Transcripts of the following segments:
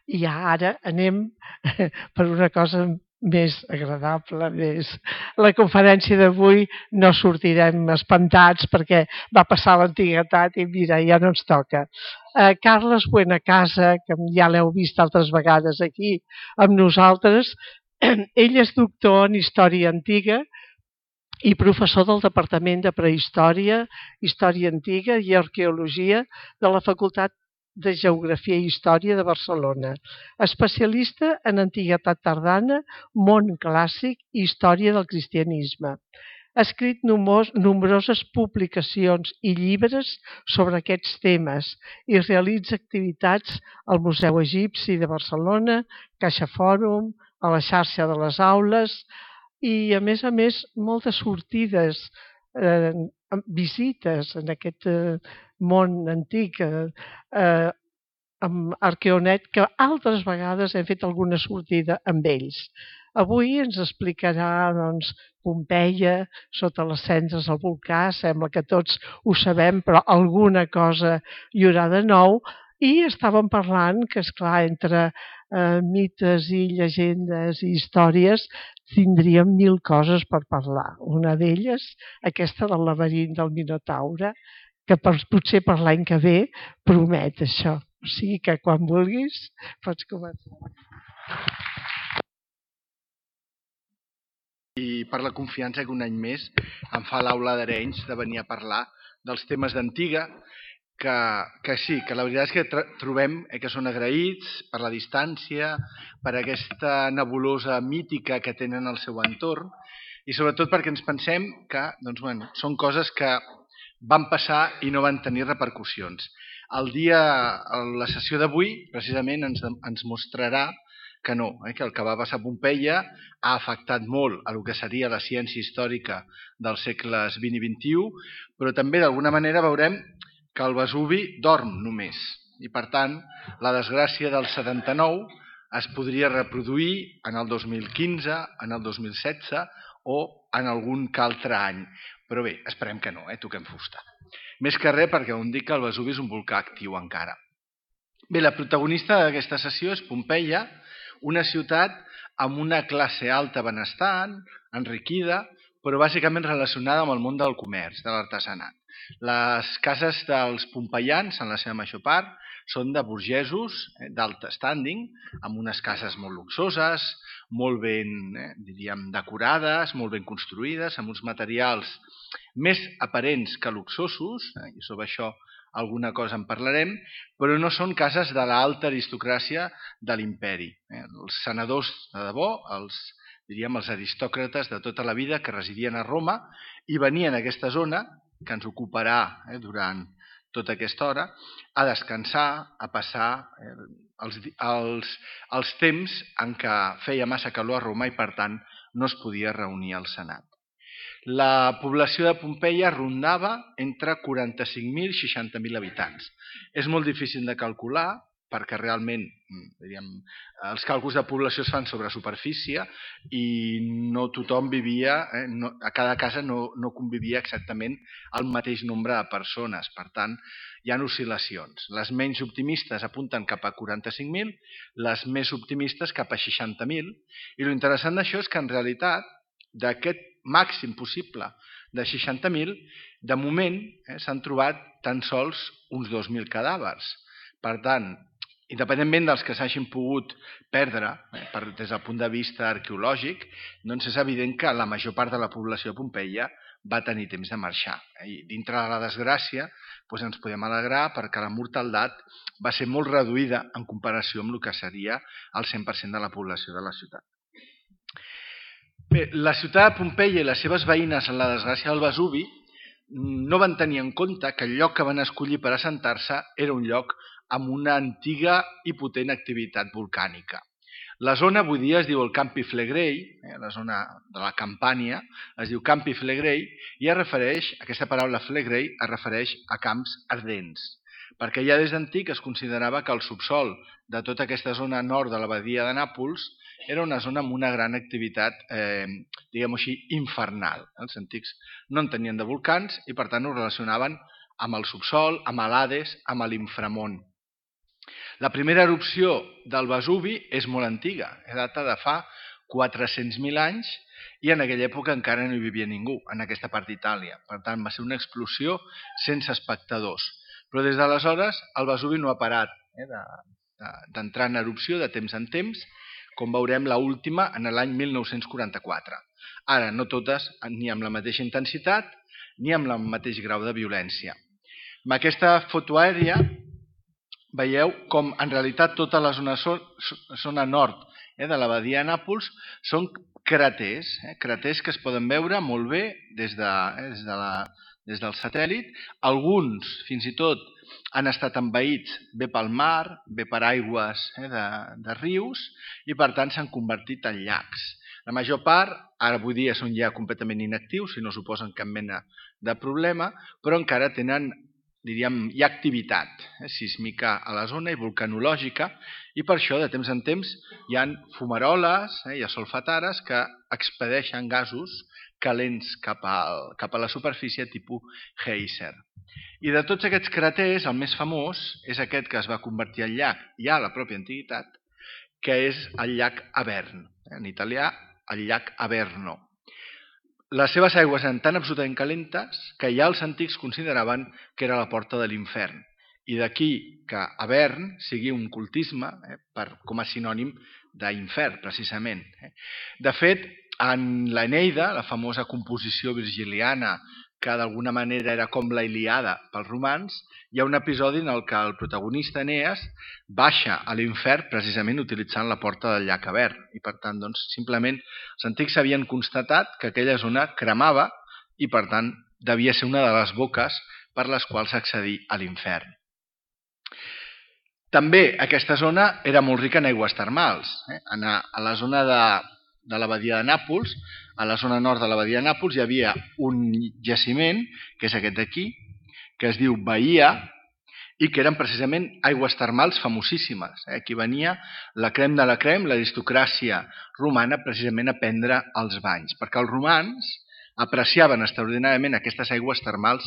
I ara anem per una cosa més agradable, La conferència d'avui no sortirem espantats perquè va passar l'antiguitat i mira, ja no ens toca. Carles Buenacasa, que ja l'heu vist altres vegades aquí amb nosaltres, ell és doctor en Història Antiga i professor del Departament de Prehistòria, Història Antiga i Arqueologia de la Facultat de Geografia i Història de Barcelona, especialista en antiguitat tardana, món clàssic i història del cristianisme. Ha escrit nombroses publicacions i llibres sobre aquests temes i realitza activitats al Museu Egipci de Barcelona, Caixa Fòrum, a la xarxa de les aules i, a més, moltes sortides, visites en aquest món antic, amb Arqueonet, que altres vegades hem fet alguna sortida amb ells. Avui ens explicarà Pompeia, sota les cendres del volcà, sembla que tots ho sabem, però alguna cosa hi haurà de nou, i estàvem parlant que, esclar, entre mites i llegendes i històries tindríem 1000 coses per parlar. Una d'elles, aquesta del laberint del Minotaure, que potser per l'any que ve promet això. O sigui que quan vulguis pots començar. I per la confiança que un any més em fa l'Aula d'Arenys de venir a parlar dels temes d'Antiga, que sí, que la veritat és que trobem que són agraïts per la distància, per aquesta nebulosa mítica que tenen al seu entorn i sobretot perquè ens pensem que són coses que van passar i no van tenir repercussions. La sessió d'avui precisament ens mostrarà que no, que el que va passar a Pompeia ha afectat molt a el que seria la ciència històrica dels segles XX i XXI, però també d'alguna manera veurem que el Vesuvi dorm només i per tant la desgràcia del 79 es podria reproduir en el 2015, en el 2016 o en algun que altre any. Però bé, esperem que no, toquem fusta. Més que res perquè on dic que el Vesuvi és un volcà actiu encara. Bé, la protagonista d'aquesta sessió és Pompeia, una ciutat amb una classe alta benestant, enriquida, però bàsicament relacionada amb el món del comerç, de l'artesanat. Les cases dels pompeians, en la seva major part, són de burgesos d'alt standing, amb unes cases molt luxoses, molt ben decorades, molt ben construïdes, amb uns materials més aparents que luxosos, i sobre això alguna cosa en parlarem, però no són cases de l'alta aristocràcia de l'imperi. Els senadors de debò, els aristòcrates de tota la vida que residien a Roma i venien a aquesta zona, que ens ocuparà durant tota aquesta hora, a descansar, a passar els temps en què feia massa calor a Roma i per tant no es podia reunir al Senat. La població de Pompeia rondava entre 45.000 i 60.000 habitants. És molt difícil de calcular perquè realment els càlculs de població es fan sobre superfície i no tothom vivia, a cada casa no convivia exactament el mateix nombre de persones. Per tant, hi ha oscil·lacions. Les menys optimistes apunten cap a 45.000, les més optimistes cap a 60.000. I l'interessant d'això és que en realitat d'aquest màxim possible de 60.000, de moment s'han trobat tan sols uns 2.000 cadàvers. Per tant, independentment dels que s'hagin pogut perdre des del punt de vista arqueològic, doncs és evident que la major part de la població de Pompeia va tenir temps de marxar. I dintre de la desgràcia ens podem alegrar perquè la mortaldat va ser molt reduïda en comparació amb el que seria el 100% de la població de la ciutat. Bé, la ciutat de Pompeia i les seves veïnes en la desgràcia del Vesuvi no van tenir en compte que el lloc que van escollir per assentar-se era un lloc amb una antiga i potent activitat volcànica. La zona avui dia es diu el Campi Flegrei, la zona de la Campània, es diu Campi Flegrei i aquesta paraula Flegrei es refereix a camps ardents, perquè ja des d'antic es considerava que el subsol de tota aquesta zona nord de la badia de Nàpols era una zona amb una gran activitat, diguem-ho així, infernal. Els antics no en tenien de volcans i per tant ho relacionaven amb el subsol, amb l'Hades, amb l'inframón. La primera erupció del Vesuvi és molt antiga, data de fa 400.000 anys i en aquella època encara no hi vivia ningú, en aquesta part d'Itàlia. Per tant, va ser una explosió sense espectadors. Però des d'aleshores el Vesuvi no ha parat d'entrar en erupció de temps en temps, com veurem l'última en l'any 1944. Ara, no totes ni amb la mateixa intensitat ni amb el mateix grau de violència. Amb aquesta foto aèria veieu com en realitat tota la zona nord de la badia de Nàpols són craters, craters que es poden veure molt bé des del satèl·lit. Alguns, fins i tot, han estat envaïts bé pel mar, bé per aigües de rius i per tant s'han convertit en llacs. La major part, ara avui dia són ja completament inactius, si no suposen cap mena de problema, però encara tenen, diríem, hi ha activitat sísmica a la zona i vulcanològica i per això de temps en temps hi ha fumaroles i solfatares que expedeixen gasos calents cap a la superfície tipus geyser. I de tots aquests craters, el més famós és aquest que es va convertir en llac ja a la pròpia antiguitat, que és el llac Avern, en italià el llac Averno. Les seves aigües eren tan absolutament calentes que ja els antics consideraven que era la porta de l'infern. I d'aquí que Avern sigui un cultisme com a sinònim d'infern, precisament. De fet, en l'Eneida, la famosa composició virgiliana, que d'alguna manera era com la Ilíada pels romans, hi ha un episodi en el que el protagonista Enees baixa a l'infern precisament utilitzant la porta del llac Avern. I per tant, doncs, simplement els antics havien constatat que aquella zona cremava i per tant devia ser una de les boques per les quals accedir a l'infern. També aquesta zona era molt rica en aigües termals. A la zona de la badia de Nàpols, a la zona nord de la badia de Nàpols hi havia un jaciment, que és aquest d'aquí, que es diu Bahia, i que eren precisament aigües termals famosíssimes. Aquí venia la crem de la crem, l'aristocràcia romana, precisament a prendre els banys, perquè els romans apreciaven extraordinàriament aquestes aigües termals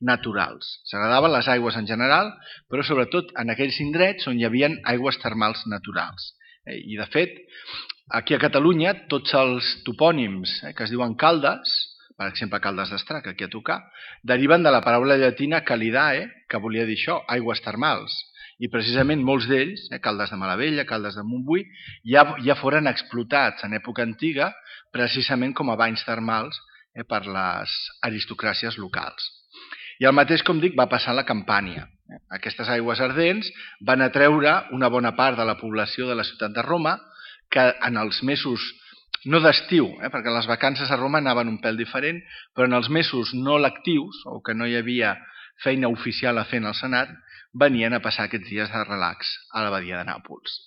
naturals. S'agradaven les aigües en general, però sobretot en aquells indrets on hi havia aigües termals naturals. I de fet, aquí a Catalunya, tots els topònims que es diuen Caldes, per exemple Caldes d'Estrac, aquí a tocar, deriven de la paraula llatina calidae, que volia dir això, aigües termals. I precisament molts d'ells, Caldes de Malavella, Caldes de Montbui, ja foren explotats en època antiga precisament com a banys termals per les aristocràcies locals. I el mateix, com dic, va passar a la Campània. Aquestes aigües ardents van atreure una bona part de la població de la ciutat de Roma, que en els mesos, no d'estiu, perquè les vacances a Roma anaven un pèl diferent, però en els mesos no lectius, o que no hi havia feina oficial a fer en el Senat, venien a passar aquests dies de relax a la badia de Nàpols.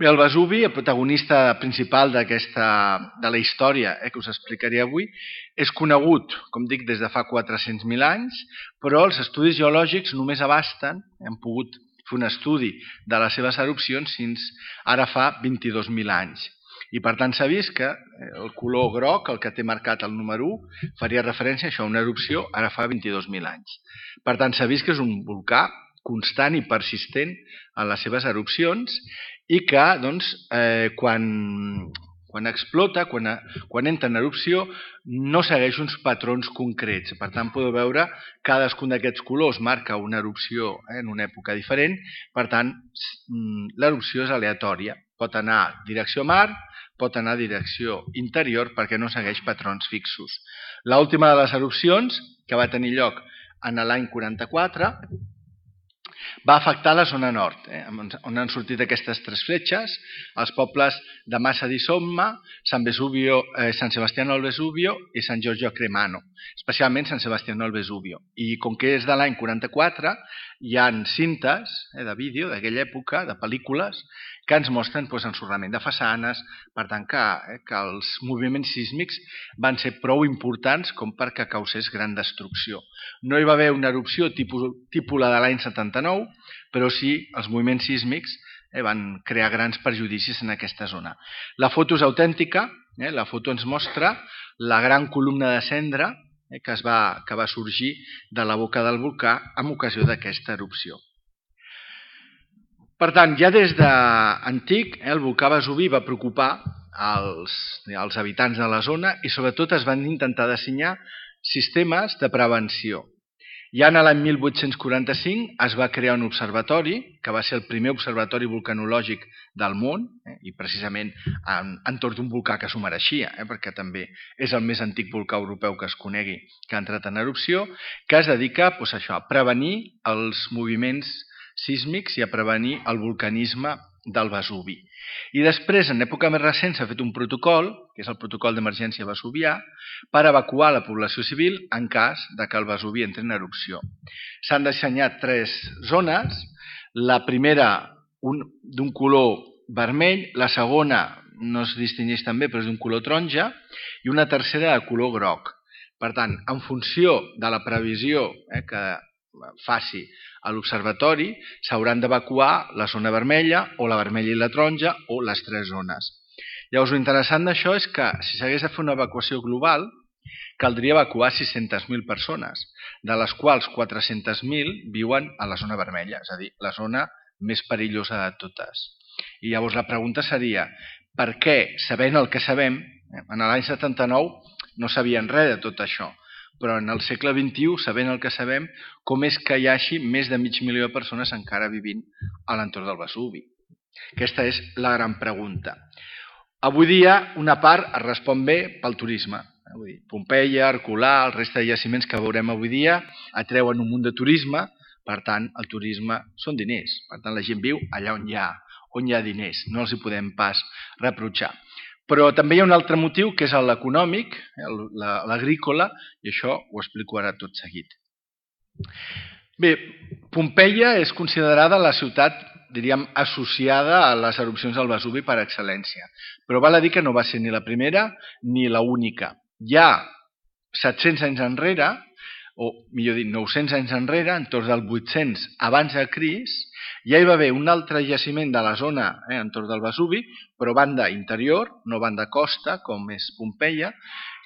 Bé, el Vesuvi, el protagonista principal de la història que us explicaré avui, és conegut, com dic, des de fa 400.000 anys, però els estudis geològics només abasten, hem pogut fer un estudi de les seves erupcions fins ara fa 22.000 anys. I per tant s'ha vist que el color groc, el que té marcat el número 1, faria referència a això, una erupció ara fa 22.000 anys. Per tant s'ha vist que és un volcà constant i persistent en les seves erupcions i que doncs, quan explota, quan entra en erupció, no segueix uns patrons concrets. Per tant, podeu veure cadascun d'aquests colors marca una erupció en una època diferent. Per tant, l'erupció és aleatòria. Pot anar direcció mar, pot anar direcció interior perquè no segueix patrons fixos. L'última de les erupcions, que va tenir lloc en l'any 44, va afectar la zona nord, on han sortit aquestes tres fletxes, els pobles de Massa di Somma, San Sebastiano al Vesubio i San Giorgio a Cremano, especialment San Sebastiano al Vesubio. I com que és de l'any 44, hi ha cintes de vídeo d'aquella època, de pel·lícules, que ens mostren ensorrament de façanes, per tant que els moviments sísmics van ser prou importants com perquè causés gran destrucció. No hi va haver una erupció tipus la de l'any 79, però sí els moviments sísmics van crear grans perjudicis en aquesta zona. La foto és autèntica, la foto ens mostra la gran columna de cendra que va sorgir de la boca del volcà en ocasió d'aquesta erupció. Per tant, ja des d'antic, el volcà Vesuvi va preocupar els habitants de la zona i sobretot es van intentar dissenyar sistemes de prevenció. Ja en l'any 1845 es va crear un observatori, que va ser el primer observatori volcanològic del món, i precisament entorn d'un volcà que s'ho mereixia, perquè també és el més antic volcà europeu que es conegui que ha entrat en erupció, que es dedica a prevenir els moviments sísmics i a prevenir el volcanisme del Vesuvi. I després, en època més recent, s'ha fet un protocol, que és el protocol d'emergència vesuvià, per evacuar la població civil en cas de que el Vesuvi entri en erupció. S'han dissenyat 3 zones, la primera d'un color vermell, la segona no es distingeix tan bé però és d'un color taronja i una tercera de color groc. Per tant, en funció de la previsió que faci a l'observatori, s'hauran d'evacuar la zona vermella o la vermella i la taronja o les 3 zones. Llavors, l'interessant d'això és que si s'hagués de fer una evacuació global, caldria evacuar 600.000 persones, de les quals 400.000 viuen a la zona vermella, és a dir, la zona més perillosa de totes. I llavors la pregunta seria, per què, sabent el que sabem, en l'any 79 no sabien res de tot això, però en el segle XXI, sabent el que sabem, com és que hi hagi més de mig milió de persones encara vivint a l'entorn del Vesuvi? Aquesta és la gran pregunta. Avui dia, una part es respon bé pel turisme. Pompeia, Herculà, el resta de jaciments que veurem avui dia atreuen un munt de turisme, per tant, el turisme són diners. Per tant, la gent viu allà on hi ha diners, no els hi podem pas reprotxar. Però també hi ha un altre motiu, que és l'econòmic, l'agrícola, i això ho explico ara tot seguit. Bé, Pompeia és considerada la ciutat, diríem, associada a les erupcions del Vesuvi per excel·lència. Però val a dir que no va ser ni la primera ni l'única. Ja 700 anys enrere, o millor dit 900 anys enrere, entorn del 800 abans de Crist, ja hi va haver un altre jaciment de la zona entorn del Vesuvi, però banda interior, no banda costa, com és Pompeia,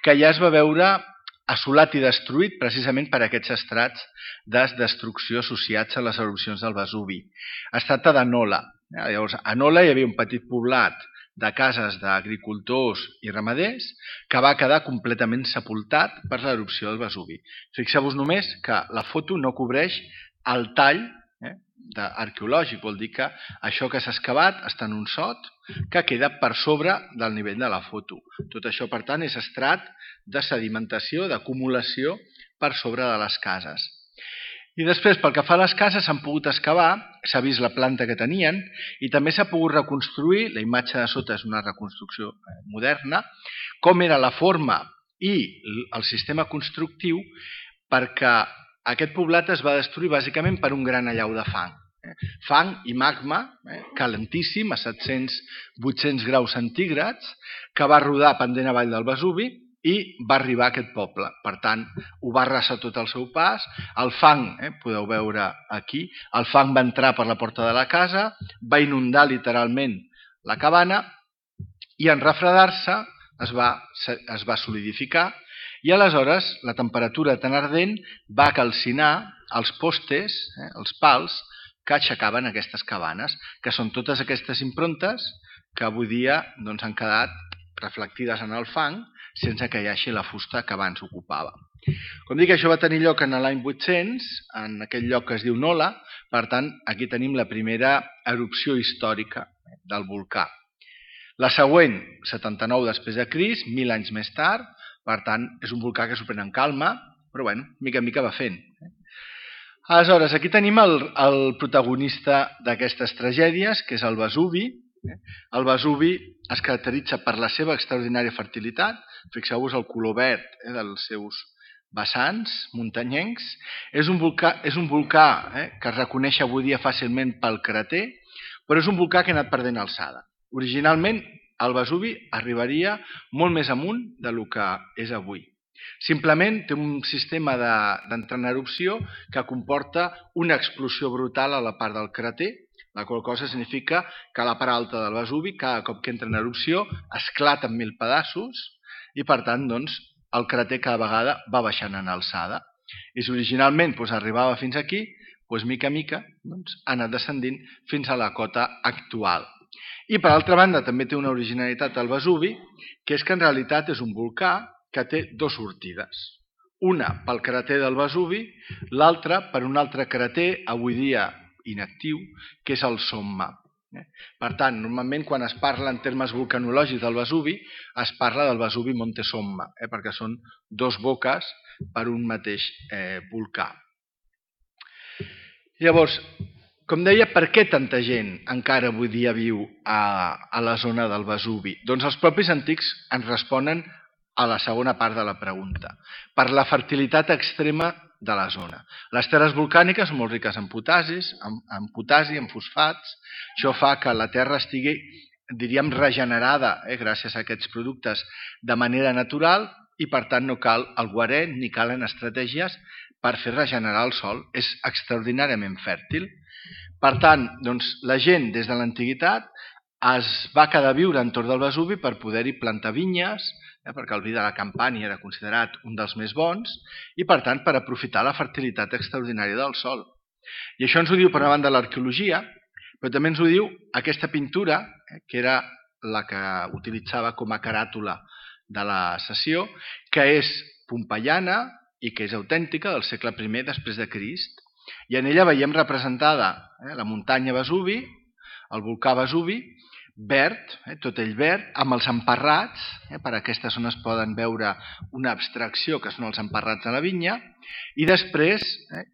que ja es va veure assolat i destruït precisament per aquests estrats de destrucció associats a les erupcions del Vesuvi. Es tracta de Nola. Llavors, a Nola hi havia un petit poblat de cases d'agricultors i ramaders que va quedar completament sepultat per l'erupció del Vesuvi. Fixeu-vos només que la foto no cobreix el tall arqueològic, vol dir que això que s'ha excavat està en un sot que queda per sobre del nivell de la foto. Tot això, per tant, és estrat de sedimentació, d'acumulació per sobre de les cases. I després, pel que fa a les cases, s'han pogut excavar, s'ha vist la planta que tenien i també s'ha pogut reconstruir, la imatge de sota és una reconstrucció moderna, com era la forma i el sistema constructiu, perquè aquest poblat es va destruir bàsicament per un gran allau de fang. Fang i magma, calentíssim, a 700-800 graus centígrads, que va rodar pendent avall del Vesuvi i va arribar a aquest poble. Per tant, ho va arrasar tot el seu pas. El fang, podeu veure aquí, el fang va entrar per la porta de la casa, va inundar literalment la cabana i en refredar-se es va solidificar i aleshores la temperatura tan ardent va calcinar els postes, els pals, que aixecaven aquestes cabanes, que són totes aquestes improntes que avui dia han quedat reflectides en el fang sense que hi hagi la fusta que abans ocupava. Com dic, això va tenir lloc en l'any 800, en aquell lloc que es diu Nola, per tant, aquí tenim la primera erupció històrica del volcà. La següent, 79 després de Crist, 1000 anys més tard, per tant, és un volcà que s'ho pren en calma, però mica en mica va fent. Aleshores, aquí tenim el protagonista d'aquestes tragèdies, que és el Vesuvi. El Vesuvi es caracteritza per la seva extraordinària fertilitat. Fixeu-vos el color verd dels seus vessants muntanyencs. És un volcà que es reconeix avui dia fàcilment pel crater, però és un volcà que ha anat perdent alçada. Originalment, el Vesuvi arribaria molt més amunt del que és avui. Simplement té un sistema d'entrar en erupció que comporta una explosió brutal a la part del crater, la qual cosa significa que la part alta del Vesuvi, cada cop que entra en erupció, esclata en 1000 pedaços i, per tant, el crater cada vegada va baixant en alçada. I si originalment arribava fins aquí, doncs, mica a mica ha anat descendint fins a la cota actual. I, per altra banda, també té una originalitat al Vesuvi, que és que en realitat és un volcà que té dues sortides. Una pel cràter del Vesuvi, l'altra per un altre cràter, avui dia inactiu, que és el Somma. Per tant, normalment quan es parla en termes vulcanològics del Vesuvi, es parla del Vesuvi Monte Somma, perquè són dos boques per un mateix volcà. Llavors, com deia, per què tanta gent encara avui dia viu a la zona del Vesuvi? Doncs els propis antics ens responen a la segona part de la pregunta. Per la fertilitat extrema de la zona. Les terres volcàniques són molt riques en potasi, en fosfats. Això fa que la terra estigui, diríem, regenerada gràcies a aquests productes de manera natural i, per tant, no cal el guaret ni calen estratègies per fer regenerar el sòl. És extraordinàriament fèrtil. Per tant, doncs, la gent des de l'antiguitat es va quedar a viure entorn del Vesuvi per poder-hi plantar vinyes, perquè el vi de la Campània era considerat un dels més bons, i per tant per aprofitar la fertilitat extraordinària del sòl. I això ens ho diu per una banda l'arqueologia, però també ens ho diu aquesta pintura, que era la que utilitzava com a caràtula de la sessió, que és pompeiana i que és autèntica del segle I després de Crist. I en ella veiem representada la muntanya Vesuvi, el volcà Vesuvi, verd, tot ell verd, amb els emparrats, per aquesta zona es poden veure una abstracció que són els emparrats de la vinya, i després,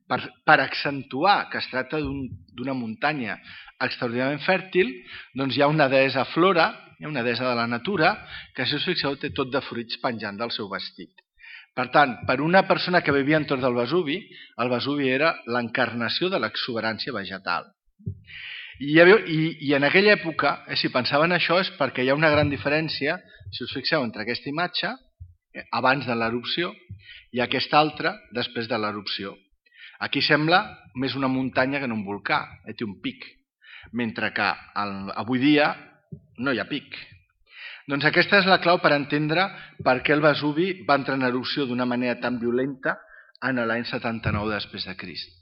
per accentuar que es tracta d'una muntanya extraordinàriament fèrtil, doncs hi ha una deessa Flora, una deessa de la natura, que si us fixeu té tot de fruits penjant del seu vestit. Per tant, per una persona que vivia entorn del Vesuvi, el Vesuvi era l'encarnació de l'exuberància vegetal. I en aquella època, si pensaven això, és perquè hi ha una gran diferència, si us fixeu, entre aquesta imatge, abans de l'erupció, i aquesta altra, després de l'erupció. Aquí sembla més una muntanya que no un volcà, té un pic, mentre que avui dia no hi ha pic. Doncs aquesta és la clau per entendre per què el Vesuvi va entrar en erupció d'una manera tan violenta en l'any 79 després de Crist.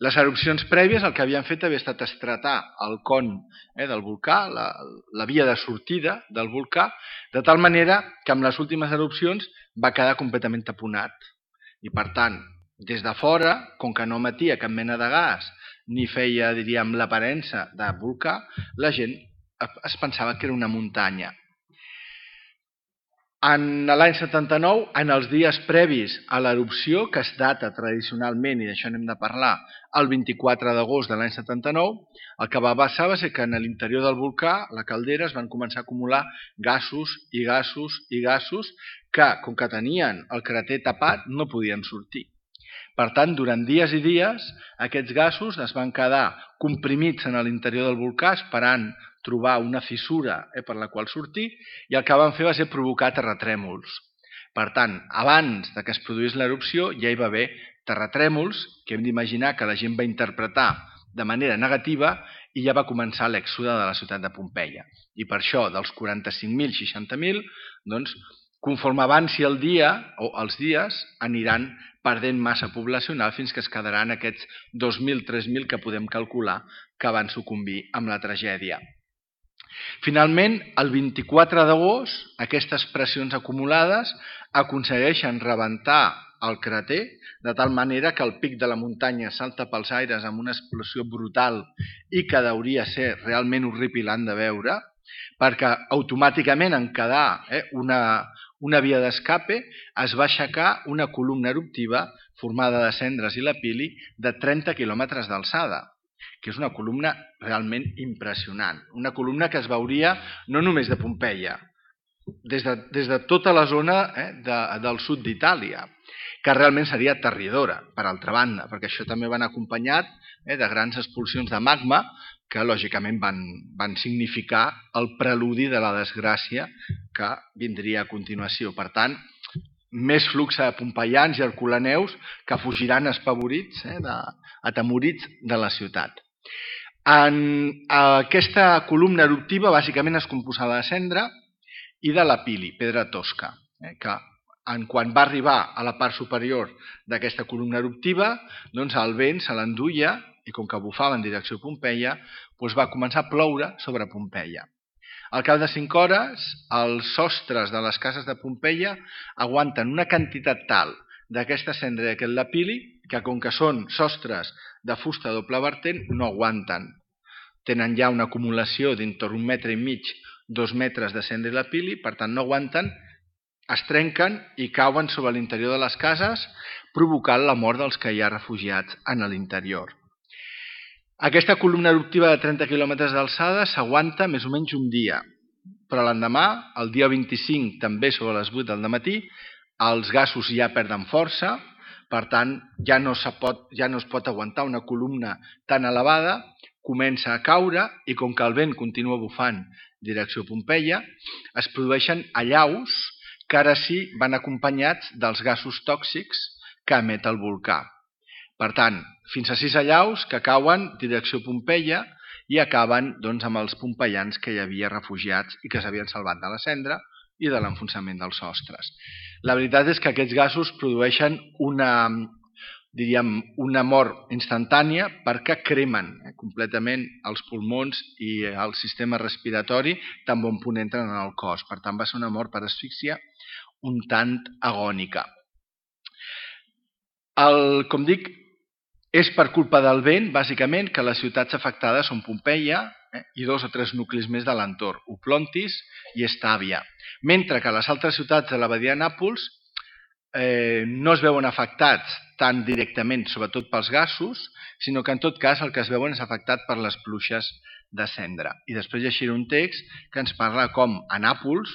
Les erupcions prèvies el que havien fet havia estat estratar el con del volcà, la via de sortida del volcà, de tal manera que amb les últimes erupcions va quedar completament taponat. I per tant, des de fora, com que no emetia cap mena de gas, ni feia, diríem, l'aparença de volcà, la gent es pensava que era una muntanya. En l'any 79, en els dies previs a l'erupció, que es data tradicionalment, i d'això n'hem de parlar, el 24 d'agost de l'any 79, el que va passar va ser que en l'interior del volcà, la caldera, es van començar a acumular gasos i gasos i gasos que, com que tenien el cràter tapat, no podien sortir. Per tant, durant dies i dies, aquests gasos es van quedar comprimits en l'interior del volcà esperant trobar una fissura per la qual sortir, i el que van fer va ser provocar terratrèmols. Per tant, abans que es produís l'erupció ja hi va haver terratrèmols que hem d'imaginar que la gent va interpretar de manera negativa i ja va començar l'èxode de la ciutat de Pompeia. I per això, dels 45.000, 60.000, doncs, conforme avanci el dia o els dies, aniran perdent massa poblacional fins que es quedaran aquests 2.000, 3.000 que podem calcular que van sucumbir amb la tragèdia. Finalment, el 24 d'agost, aquestes pressions acumulades aconsegueixen rebentar el cràter, de tal manera que el pic de la muntanya salta pels aires amb una explosió brutal i que hauria ser realment horripilant de veure, perquè automàticament en quedar una via d'escape es va aixecar una columna eruptiva formada de cendres i lapili de 30 quilòmetres d'alçada, que és una columna realment impressionant. Una columna que es veuria no només de Pompeia, des de tota la zona del sud d'Itàlia, que realment seria aterridora, per altra banda, perquè això també van acompanyat de grans expulsions de magma que lògicament van significar el preludi de la desgràcia que vindria a continuació. Per tant, més flux de pompeians i herculaneus que fugiran espavorits, atemorits de la ciutat. Aquesta columna eruptiva bàsicament és composada de cendra i de lapili, pedra tosca, que quan va arribar a la part superior d'aquesta columna eruptiva, doncs el vent se l'enduia i com que bufava en direcció a Pompeia, doncs va començar a ploure sobre Pompeia. Al cap de 5 hores, els sostres de les cases de Pompeia aguanten una quantitat tal d'aquesta cendra i d'aquest lapili que com que són sostres de fusta doble vertent no aguanten. Tenen ja una acumulació d'entorn 1,5 metres, 2 metres de cendra i lapili, per tant no aguanten, es trenquen i cauen sobre l'interior de les cases, provocant la mort dels que hi ha refugiats en l'interior. Aquesta columna eruptiva de 30 quilòmetres d'alçada s'aguanta més o menys un dia, però l'endemà, el dia 25, també sobre les 8 del matí, els gasos ja perden força, per tant ja no es pot aguantar una columna tan elevada, comença a caure i com que el vent continua bufant direcció a Pompeia, es produeixen allaus que ara sí van acompanyats dels gasos tòxics que emet el volcà. Per tant, fins a 6 allaus que cauen direcció a Pompeia i acaben amb els pompeians que hi havia refugiats i que s'havien salvat de la cendra i de l'enfonsament dels sostres. La veritat és que aquests gasos produeixen una mort instantània perquè cremen completament els pulmons i el sistema respiratori tan bon punt entren en el cos. Per tant, va ser una mort per asfíxia un tant agònica. Com dic, és per culpa del vent, bàsicament, que les ciutats afectades són Pompeia i 2 o 3 nuclis més de l'entorn, Oplontis i Estàvia, mentre que les altres ciutats de la badia de Nàpols no es veuen afectats tant directament, sobretot pels gasos, sinó que en tot cas el que es veuen és afectat per les pluges de cendra. I després llegiré un text que ens parla com a Nàpols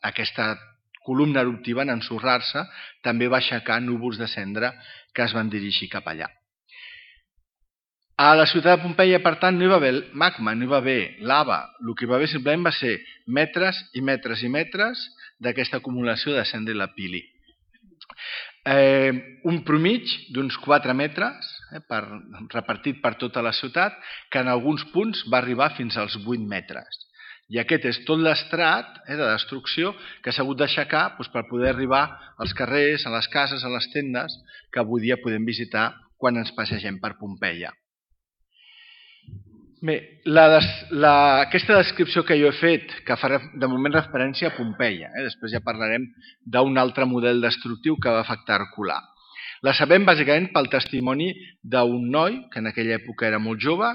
aquesta columna eruptiva en ensorrar-se també va aixecar núvols de cendra que es van dirigir cap allà. A la ciutat de Pompeia, per tant, no hi va haver magma, no hi va haver lava. El que hi va haver simplement va ser metres i metres i metres d'aquesta acumulació de cendra i lapili. Un promig d'uns 4 metres repartit per tota la ciutat, que en alguns punts va arribar fins als 8 metres. I aquest és tot l'estrat de destrucció que s'ha hagut d'aixecar per poder arribar als carrers, a les cases, a les tendes que avui dia podem visitar quan ens passegem per Pompeia. Bé, aquesta descripció que jo he fet, que fa de moment referència a Pompeia, després ja parlarem d'un altre model destructiu que va afectar Herculà. La sabem bàsicament pel testimoni d'un noi, que en aquella època era molt jove,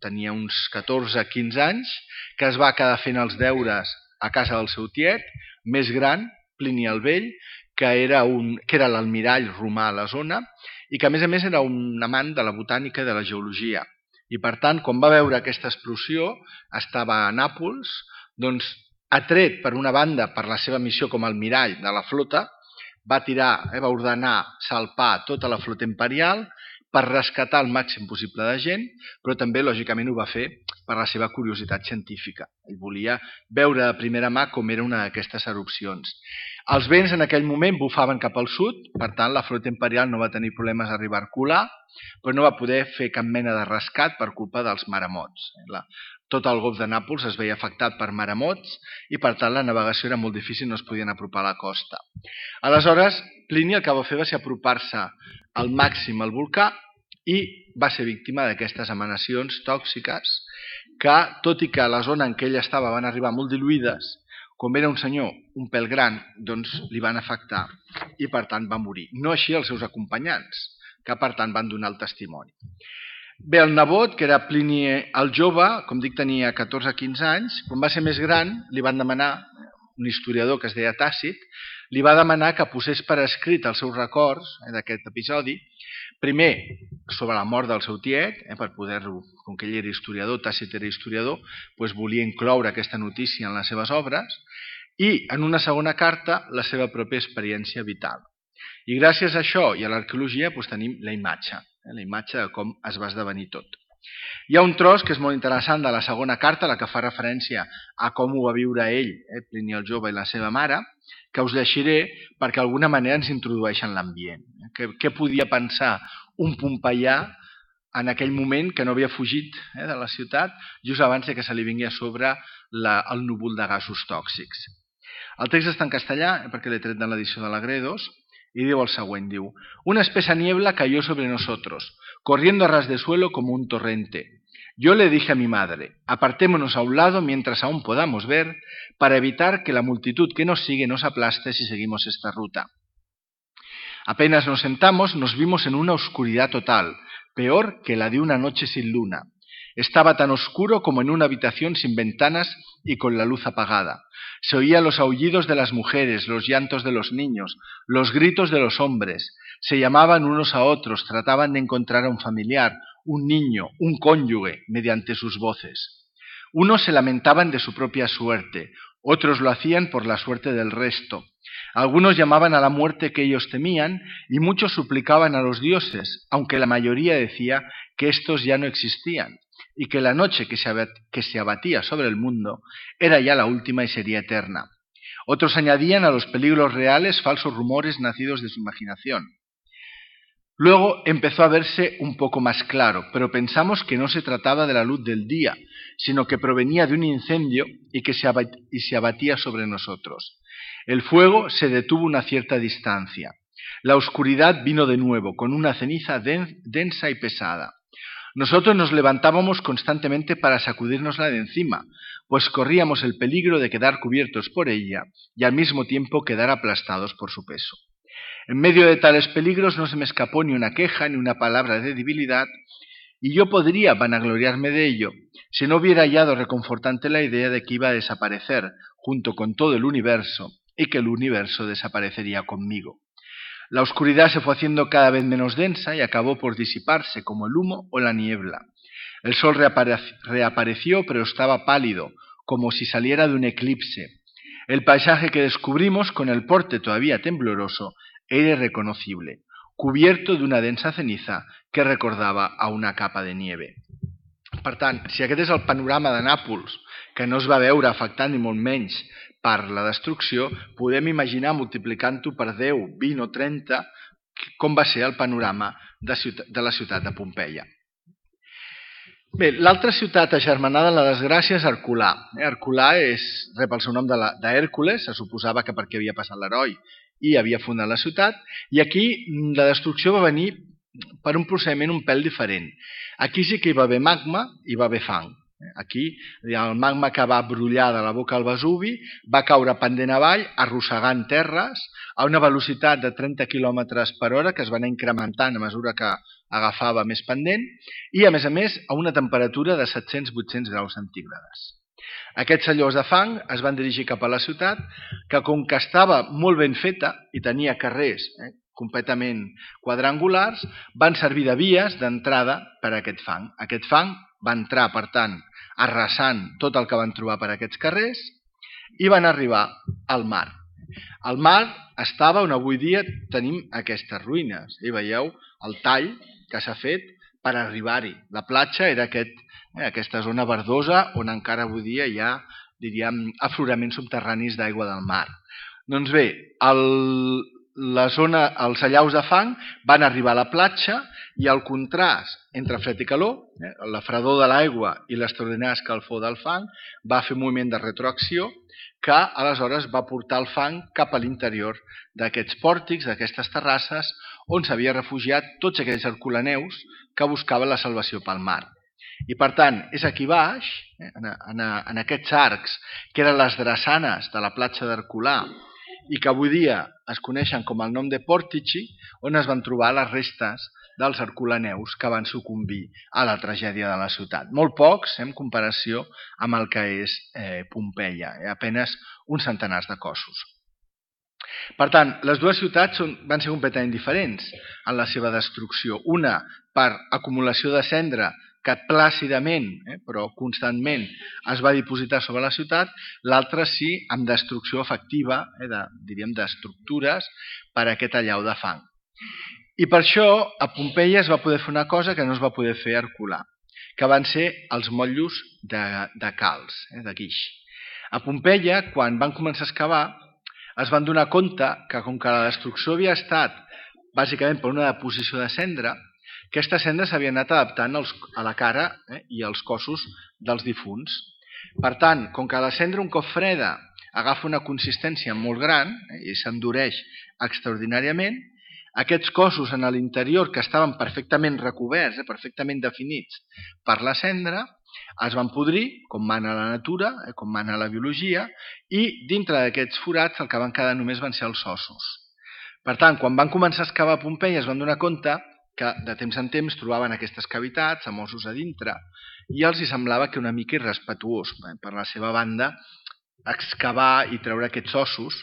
tenia uns 14-15 anys, que es va quedar fent els deures a casa del seu tiet, més gran, Plini el Vell, que era l'almirall romà a la zona i que a més era un amant de la botànica i de la geologia. I per tant, quan va veure aquesta explosió, estava a Nàpols, doncs atret per una banda per la seva missió com a almirall de la flota, va ordenar salpar tota la flota imperial per rescatar el màxim possible de gent, però també, lògicament, ho va fer per la seva curiositat científica. Ell volia veure de primera mà com era una d'aquestes erupcions. Els vents en aquell moment bufaven cap al sud, per tant, la flota imperial no va tenir problemes a arribar a Herculà, però no va poder fer cap mena de rescat per culpa dels maremots. Tot el golf de Nàpols es veia afectat per maremots i, per tant, la navegació era molt difícil, no es podien apropar a la costa. Aleshores, Plini el que va fer va ser apropar-se al màxim al volcà i va ser víctima d'aquestes emanacions tòxiques que, tot i que a la zona en què ell estava van arribar molt diluïdes, com era un senyor un pèl gran, doncs li van afectar i, per tant, va morir. No així els seus acompanyants, que, per tant, van donar el testimoni. Bé, el nebot, que era Plini el jove, com dic, tenia 14-15 anys, quan va ser més gran, li van demanar, un historiador que es deia Tàcit, li va demanar que posés per escrit els seus records d'aquest episodi, primer sobre la mort del seu tiet, per poder-lo, com que ell era historiador, Tàcit era historiador, doncs volia incloure aquesta notícia en les seves obres, i en una segona carta la seva pròpia experiència vital. I gràcies a això i a l'arqueologia tenim la imatge de com es va esdevenir tot. Hi ha un tros que és molt interessant de la segona carta, la que fa referència a com ho va viure ell, Plini el jove i la seva mare, que us llegiré perquè d'alguna manera ens introdueix en l'ambient. Què podia pensar un pompeià en aquell moment que no havia fugit de la ciutat just abans que se li vingui a sobre el núvol de gasos tòxics. El text està en castellà, perquè l'he tret de l'edició de l'Agredos, y diu el següent, diu: una espesa niebla cayó sobre nosotros, corriendo a ras de suelo como un torrente. Yo le dije a mi madre: apartémonos a un lado mientras aún podamos ver, para evitar que la multitud que nos sigue nos aplaste si seguimos esta ruta. Apenas nos sentamos, nos vimos en una oscuridad total, peor que la de una noche sin luna. Estaba tan oscuro como en una habitación sin ventanas y con la luz apagada. Se oían los aullidos de las mujeres, los llantos de los niños, los gritos de los hombres. Se llamaban unos a otros, trataban de encontrar a un familiar, un niño, un cónyuge, mediante sus voces. Unos se lamentaban de su propia suerte, otros lo hacían por la suerte del resto. Algunos llamaban a la muerte que ellos temían y muchos suplicaban a los dioses, aunque la mayoría decía que estos ya no existían y que la noche que se abatía sobre el mundo era ya la última y sería eterna. Otros añadían a los peligros reales falsos rumores nacidos de su imaginación. Luego empezó a verse un poco más claro, pero pensamos que no se trataba de la luz del día, sino que provenía de un incendio y se abatía sobre nosotros. El fuego se detuvo a una cierta distancia. La oscuridad vino de nuevo, con una ceniza densa y pesada. Nosotros nos levantábamos constantemente para sacudírnosla de encima, pues corríamos el peligro de quedar cubiertos por ella y al mismo tiempo quedar aplastados por su peso. En medio de tales peligros no se me escapó ni una queja ni una palabra de debilidad, y yo podría vanagloriarme de ello si no hubiera hallado reconfortante la idea de que iba a desaparecer junto con todo el universo y que el universo desaparecería conmigo. La oscuridad se fue haciendo cada vez menos densa y acabó por disiparse como el humo o la niebla. El sol reapareció, pero estaba pálido, como si saliera de un eclipse. El paisaje que descubrimos, con el porte todavía tembloroso, era irreconocible, cubierto de una densa ceniza que recordava a una capa de nieve. Per tant, si aquest és el panorama de Nàpols, que no es va veure afectat ni molt menys per la destrucció, podem imaginar, multiplicant-ho per 10, 20 o 30, com va ser el panorama de la ciutat de Pompeia. Bé, l'altra ciutat agermanada en la desgràcia és Herculà. Herculà rep el seu nom d'Hèrcules, se suposava que perquè havia passat l'heroi i havia fundat la ciutat, i aquí la destrucció va venir per un procediment un pèl diferent. Aquí sí que hi va haver magma i hi va haver fang. Aquí el magma que va brollar de la boca al Vesuvi va caure pendent avall, arrossegant terres a una velocitat de 30 km per hora que es va anar incrementant a mesura que agafava més pendent i, a més, a una temperatura de 700-800 graus centígrades. Aquests sellors de fang es van dirigir cap a la ciutat, que com que estava molt ben feta i tenia carrers completament quadrangulars, van servir de vies d'entrada per a aquest fang. Aquest fang va entrar, per tant, arrasant tot el que van trobar per aquests carrers i van arribar al mar. El mar estava on avui dia tenim aquestes ruïnes. I veieu el tall que s'ha fet per arribar-hi. La platja era aquesta zona verdosa on encara avui dia hi ha, diríem, afloraments subterranis d'aigua del mar. Doncs bé, els allaus de fang van arribar a la platja i el contrast entre fred i calor, la fredor de l'aigua i l'extraordinària escalfor del fang, va fer un moviment de retroacció que aleshores va portar el fang cap a l'interior d'aquests pòrtics, d'aquestes terrasses, on s'havia refugiat tots aquells herculaneus que buscaven la salvació pel mar. I per tant, és aquí baix, en aquests arcs, que eren les drassanes de la platja d'Herculà, i que avui dia es coneixen com el nom de Pòrtici, on es van trobar les restes dels herculaneus que van sucumbir a la tragèdia de la ciutat. Molt pocs en comparació amb el que és Pompeia, apenas uns centenars de cossos. Per tant, les dues ciutats van ser completament diferents en la seva destrucció. Una per acumulació de cendra que plàcidament, però constantment, es va dipositar sobre la ciutat, l'altra sí amb destrucció efectiva, diríem, d'estructures per a aquest allau de fang. I per això a Pompeia es va poder fer una cosa que no es va poder fer a Herculà, que van ser els motllos de calç, de guix. A Pompeia, quan van començar a excavar, es van donar compte que com que la destrucció havia estat bàsicament per una deposició de cendra, aquesta cendra s'havia anat adaptant a la cara i als cossos dels difunts. Per tant, com que la cendra un cop freda agafa una consistència molt gran i s'endureix extraordinàriament. Aquests cossos en l'interior, que estaven perfectament recoberts, perfectament definits per la cendra, es van podrir, com mana la natura, com mana la biologia, i dintre d'aquests forats el que van quedar només van ser els ossos. Per tant, quan van començar a excavar a Pompeia es van donar compte que de temps en temps trobaven aquestes cavitats amb ossos a dintre i els hi semblava que una mica irrespetuós per la seva banda excavar i treure aquests ossos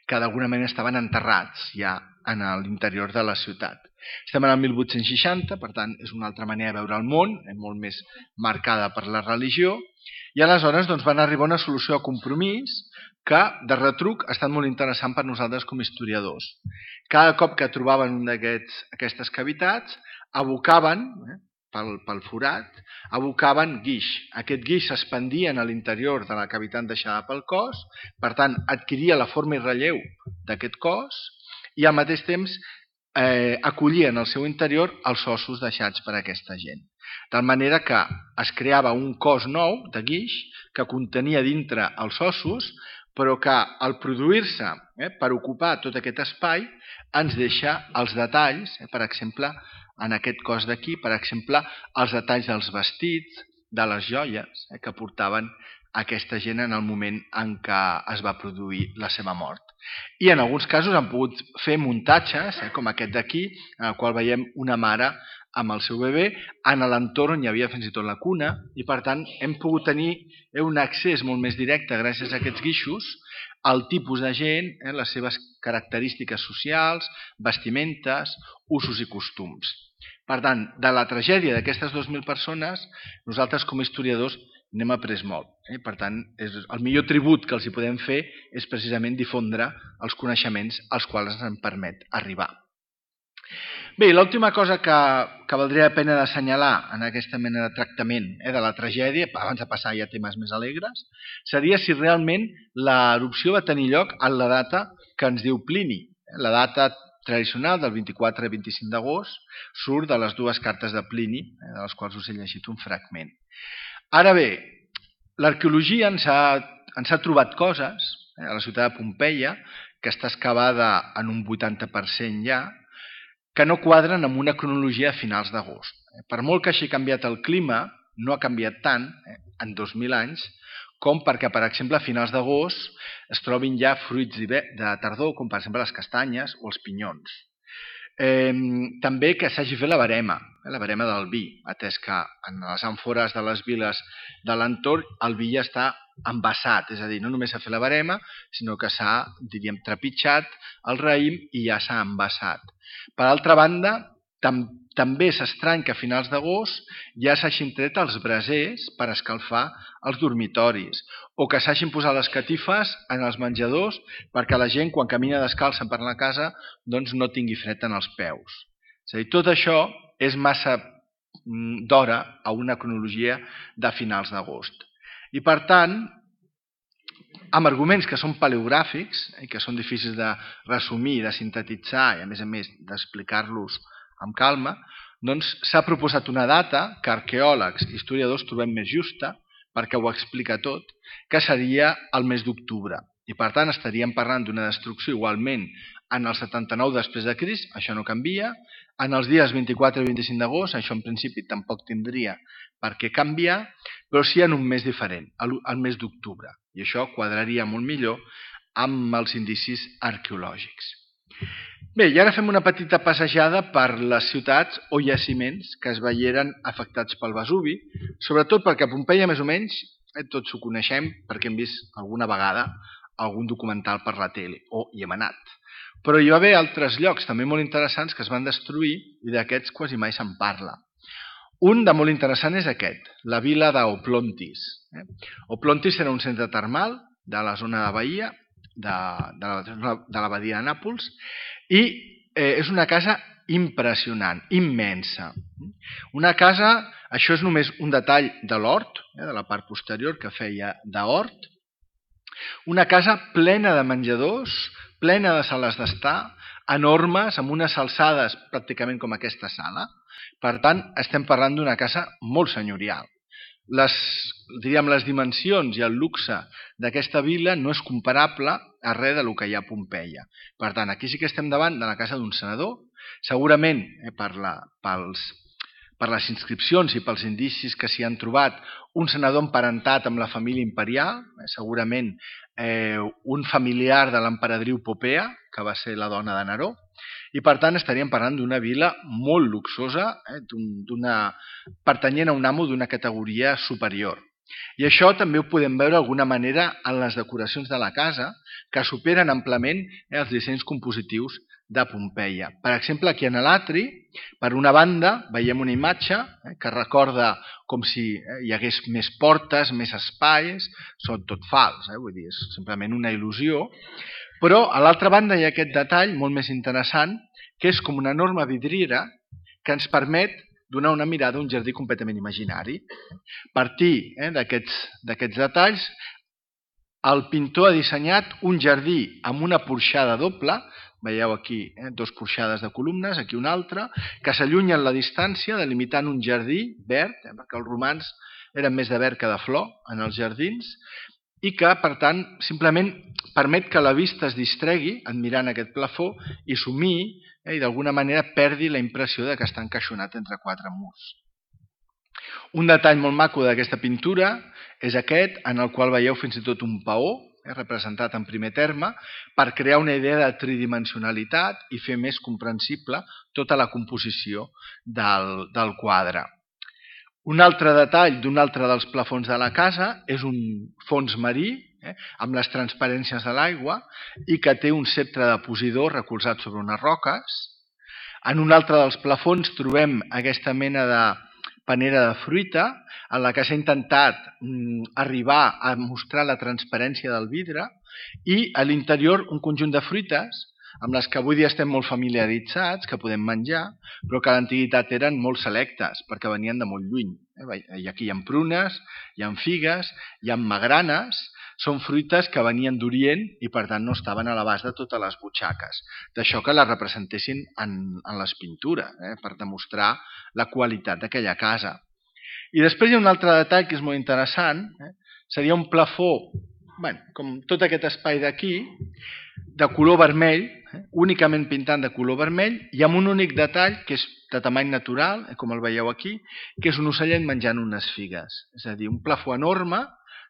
que d'alguna manera estaven enterrats ja en l'interior de la ciutat. Estem en el 1860, per tant és una altra manera de veure el món, molt més marcada per la religió, i aleshores van arribar a una solució de compromís que de retruc ha estat molt interessant per nosaltres com a historiadors. Cada cop que trobaven una d'aquestes cavitats abocaven pel forat, abocaven guix. Aquest guix s'expandia a l'interior de la cavitat deixada pel cos, per tant adquiria la forma i relleu d'aquest cos i al mateix temps acollia en el seu interior els ossos deixats per aquesta gent. De manera que es creava un cos nou de guix que contenia dintre els ossos, però que al produir-se per ocupar tot aquest espai ens deixa els detalls, per exemple, en aquest cos d'aquí, per exemple, els detalls dels vestits, de les joies que portaven aquesta gent en el moment en què es va produir la seva mort. I en alguns casos han pogut fer muntatges, com aquest d'aquí, en el qual veiem una mare amb el seu bebè, en l'entorn on hi havia fins i tot la cuna, i per tant hem pogut tenir un accés molt més directe gràcies a aquests guixos al tipus de gent, les seves característiques socials, vestimentes, usos i costums. Per tant, de la tragèdia d'aquestes 2.000 persones, nosaltres com a historiadors n'hem après molt. Per tant, el millor tribut que els hi podem fer és precisament difondre els coneixements als quals ens permet arribar. Bé, l'última cosa que valdria la pena d'assenyalar en aquesta mena de tractament de la tragèdia, abans de passar ja a temes més alegres, seria si realment l'erupció va tenir lloc en la data que ens diu Plini. La data tradicional del 24 i 25 d'agost surt de les dues cartes de Plini, de les quals us he llegit un fragment. Ara bé, l'arqueologia ens ha trobat coses a la ciutat de Pompeia, que està excavada en un 80% ja, que no quadren amb una cronologia a finals d'agost. Per molt que hagi canviat el clima, no ha canviat tant en 2.000 anys, com perquè, per exemple, a finals d'agost es trobin ja fruits de tardor, com per exemple les castanyes o els pinyons. També que s'hagi fet la barema del vi, atès que en les àmfores de les viles de l'entorn el vi ja està envasat, és a dir, no només s'ha fet la barema, sinó que s'ha, diríem, trepitjat el raïm i ja s'ha envasat. Per altra banda, també s'estrany que a finals d'agost ja s'hagin tret els brasers per escalfar els dormitoris o que s'hagin posat les catifes en els menjadors perquè la gent, quan camina descalça per la casa, doncs no tingui fred en els peus. És a dir, tot això és massa d'hora a una cronologia de finals d'agost. I per tant, amb arguments que són paleogràfics i que són difícils de resumir, de sintetitzar i a més d'explicar-los amb calma, doncs s'ha proposat una data que arqueòlegs i historiadors trobem més justa, perquè ho explica tot, que seria el mes d'octubre. I per tant estaríem parlant d'una destrucció igualment en el 79 després de Crist, això no canvia, en els dies 24 i 25 d'agost, això en principi tampoc tindria per què canviar, però sí en un mes diferent, el mes d'octubre. I això quadraria molt millor amb els indicis arqueològics. Bé, i ara fem una petita passejada per les ciutats o jaciments que es veieren afectats pel Vesuvi, sobretot perquè a Pompeia, més o menys, tots ho coneixem perquè hem vist alguna vegada algun documental per la tele, o hi hem anat. Però hi va haver altres llocs també molt interessants que es van destruir i d'aquests quasi mai se'n parla. Un de molt interessant és aquest, la vila d'Oplontis. Oplontis era un centre termal de la zona de Bahia, de la badia de Nàpols, i és una casa impressionant, immensa. Una casa, això és només un detall de l'hort, de la part posterior que feia d'hort, una casa plena de menjadors, plena de sales d'estar, enormes, amb unes alçades pràcticament com aquesta sala. Per tant, estem parlant d'una casa molt senyorial. les dimensions i el luxe d'aquesta vila no és comparable a res del que hi ha a Pompeia. Per tant, aquí sí que estem davant de la casa d'un senador, segurament per les inscripcions i pels indicis que s'hi han trobat, un senador emparentat amb la família imperial, segurament un familiar de l'emperadriu Popea, que va ser la dona de Neró, i per tant estaríem parlant d'una vila molt luxosa, pertanyent a un amo d'una categoria superior. I això també ho podem veure d'alguna manera en les decoracions de la casa, que superen amplament els dissenys compositius de Pompeia. Per exemple, aquí en l'atri, per una banda, veiem una imatge que recorda com si hi hagués més portes, més espais, són tot fals, vull dir, és simplement una il·lusió, però a l'altra banda hi ha aquest detall molt més interessant, que és com una enorme vidriera que ens permet donar una mirada a un jardí completament imaginari. A partir d'aquests detalls, el pintor ha dissenyat un jardí amb una porxada doble, veieu aquí dos porxades de columnes, aquí una altra, que s'allunyen la distància delimitant un jardí verd, perquè els romans eren més de verd que de flor en els jardins, i que, per tant, simplement permet que la vista es distregui admirant aquest plafó i somiï i d'alguna manera perdi la impressió de que està encaixonat entre quatre murs. Un detall molt maco d'aquesta pintura és aquest, en el qual veieu fins i tot un paó, representat en primer terme, per crear una idea de tridimensionalitat i fer més comprensible tota la composició del quadre. Un altre detall d'un altre dels plafons de la casa és un fons marí, amb les transparències de l'aigua, i que té un ceptre de Posidó recolzat sobre unes roques. En un altre dels plafons trobem aquesta mena de panera de fruita, en la que s'ha intentat arribar a mostrar la transparència del vidre, i a l'interior un conjunt de fruites amb les que avui dia estem molt familiaritzats, que podem menjar, però que a l'antiguitat eren molt selectes, perquè venien de molt lluny. I aquí hi ha prunes, hi ha figues, hi ha magranes, són fruites que venien d'Orient i per tant no estaven a l'abast de totes les butxaques. D'això que les representessin en les pintures, per demostrar la qualitat d'aquella casa. I després hi ha un altre detall que és molt interessant, seria un plafó, com tot aquest espai d'aquí, de color vermell, únicament pintant de color vermell, i amb un únic detall, que és de tamany natural, com el veieu aquí, que és un ocellet menjant unes figues. És a dir, un plafó enorme,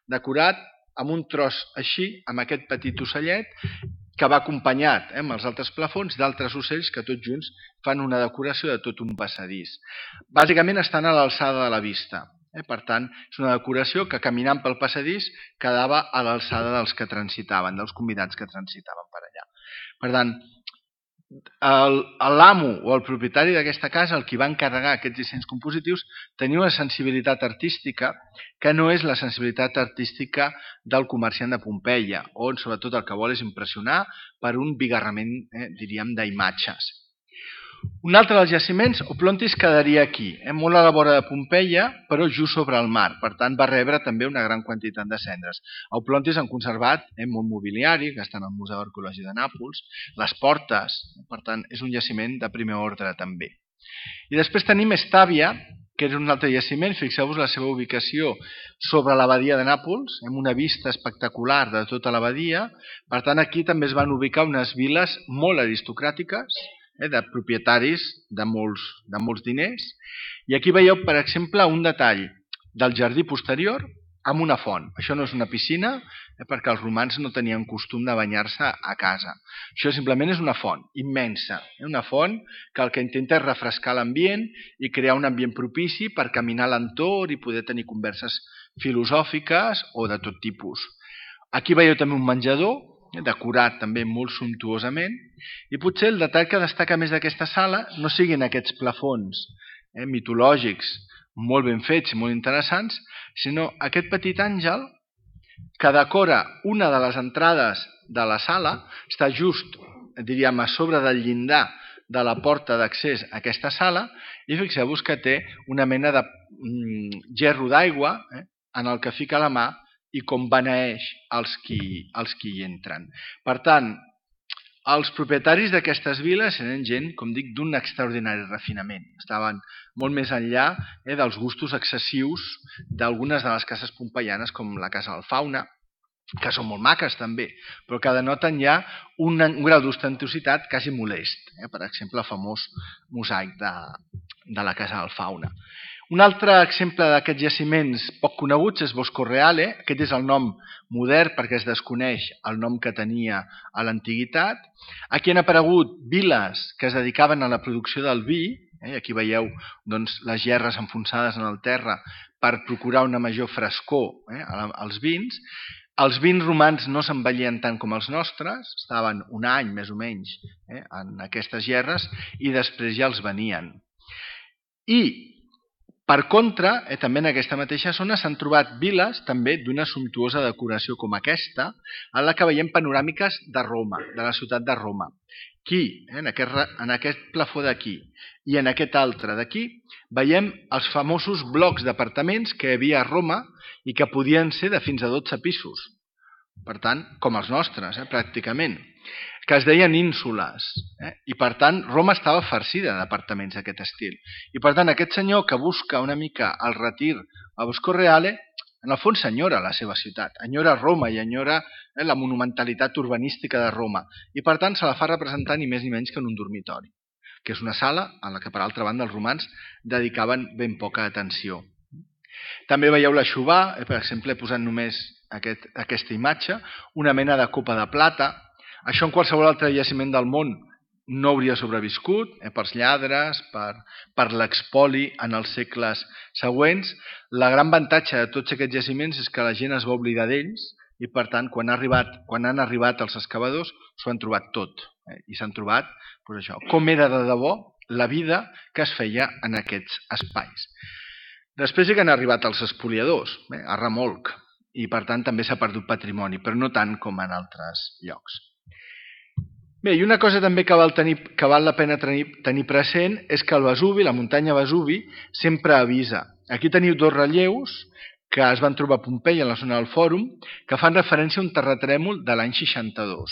decorat amb un tros així, amb aquest petit ocellet, que va acompanyat amb els altres plafons d'altres ocells que tots junts fan una decoració de tot un passadís. Bàsicament estan a l'alçada de la vista. Per tant, és una decoració que caminant pel passadís quedava a l'alçada dels que transitaven, dels convidats que transitaven per allà. Per tant, l'amo o el propietari d'aquesta casa, el qui va encarregar aquests dissenys compositius, tenia una sensibilitat artística que no és la sensibilitat artística del comerciant de Pompeia, on sobretot el que vol és impressionar per un bigarrament, diríem, d'imatges. Un altre dels jaciments, Oplontis, quedaria aquí, molt a la vora de Pompeia, però just sobre el mar. Per tant, va rebre també una gran quantitat de cendres. A Oplontis han conservat molt mobiliari, que està en el Museu Arqueològic de Nàpols, les portes, per tant, és un jaciment de primer ordre també. I després tenim Estàvia, que és un altre jaciment, fixeu-vos la seva ubicació sobre l'abadia de Nàpols, amb una vista espectacular de tota l'abadia. Per tant, aquí també es van ubicar unes viles molt aristocràtiques, de propietaris de molts diners. I aquí veieu, per exemple, un detall del jardí posterior amb una font. Això no és una piscina, perquè els romans no tenien costum de banyar-se a casa. Això simplement és una font immensa, una font que el que intenta és refrescar l'ambient i crear un ambient propici per caminar a l'entorn i poder tenir converses filosòfiques o de tot tipus. Aquí veieu també un menjador, decorat també molt sumptuosament, i potser el detall que destaca més d'aquesta sala no siguin aquests plafons mitològics molt ben fets i molt interessants, sinó aquest petit àngel que decora una de les entrades de la sala, està just, diríem, a sobre del llindar de la porta d'accés a aquesta sala, i fixeu-vos que té una mena de gerro d'aigua en el que fica la mà i com beneeix els qui hi entren. Per tant, Els propietaris d'aquestes viles eren gent, com dic, d'un extraordinari refinament. Estaven molt més enllà dels gustos excessius d'algunes de les cases pompeianes, com la Casa del Fauna, que són molt maques també, però que denoten ja un grau d'ostentositat quasi molest. Per exemple, el famós mosaic de la Casa del Fauna. Un altre exemple d'aquests jaciments poc coneguts és Bosco Reale. Aquest és el nom modern perquè es desconeix el nom que tenia a l'antiguitat. Aquí han aparegut viles que es dedicaven a la producció del vi. Aquí veieu les gerres enfonsades en el terra per procurar una major frescor als vins. Els vins romans no s'envellien tant com els nostres, estaven un any més o menys en aquestes gerres i després ja els venien. I per contra, també en aquesta mateixa zona s'han trobat viles també d'una sumptuosa decoració com aquesta, en la que veiem panoràmiques de Roma, de la ciutat de Roma. Aquí, en aquest plafó d'aquí i en aquest altre d'aquí, veiem els famosos blocs d'apartaments que hi havia a Roma i que podien ser de fins a 12 pisos. Per tant, com els nostres, pràcticament, que es deien ínsules. I per tant, Roma estava farcida d'apartaments d'aquest estil. I per tant, aquest senyor que busca una mica el retir a Bosco Reale, en el fons enyora la seva ciutat, enyora Roma i enyora la monumentalitat urbanística de Roma. I per tant, se la fa representar ni més ni menys que en un dormitori, que és una sala a la que, per altra banda, els romans dedicaven ben poca atenció. També veieu la Xubà, per exemple, he posat només aquesta imatge, una mena de copa de plata. Això en qualsevol altre jaciment del món no hauria sobreviscut, pels lladres, per l'expoli en els segles següents. El gran avantatge de tots aquests jaciments és que la gent es va oblidar d'ells i, per tant, quan han arribat els excavadors, s'ho han trobat tot. I s'han trobat com era de debò la vida que es feia en aquests espais. Després sí que han arribat els espoliadors, a remolc, i per tant també s'ha perdut patrimoni, però no tant com en altres llocs. Bé, i una cosa també que val la pena tenir present és que el Vesuvi, la muntanya Vesuvi, sempre avisa. Aquí teniu dos relleus que es van trobar a Pompeia, en la zona del Fòrum, que fan referència a un terratrèmol de l'any 62.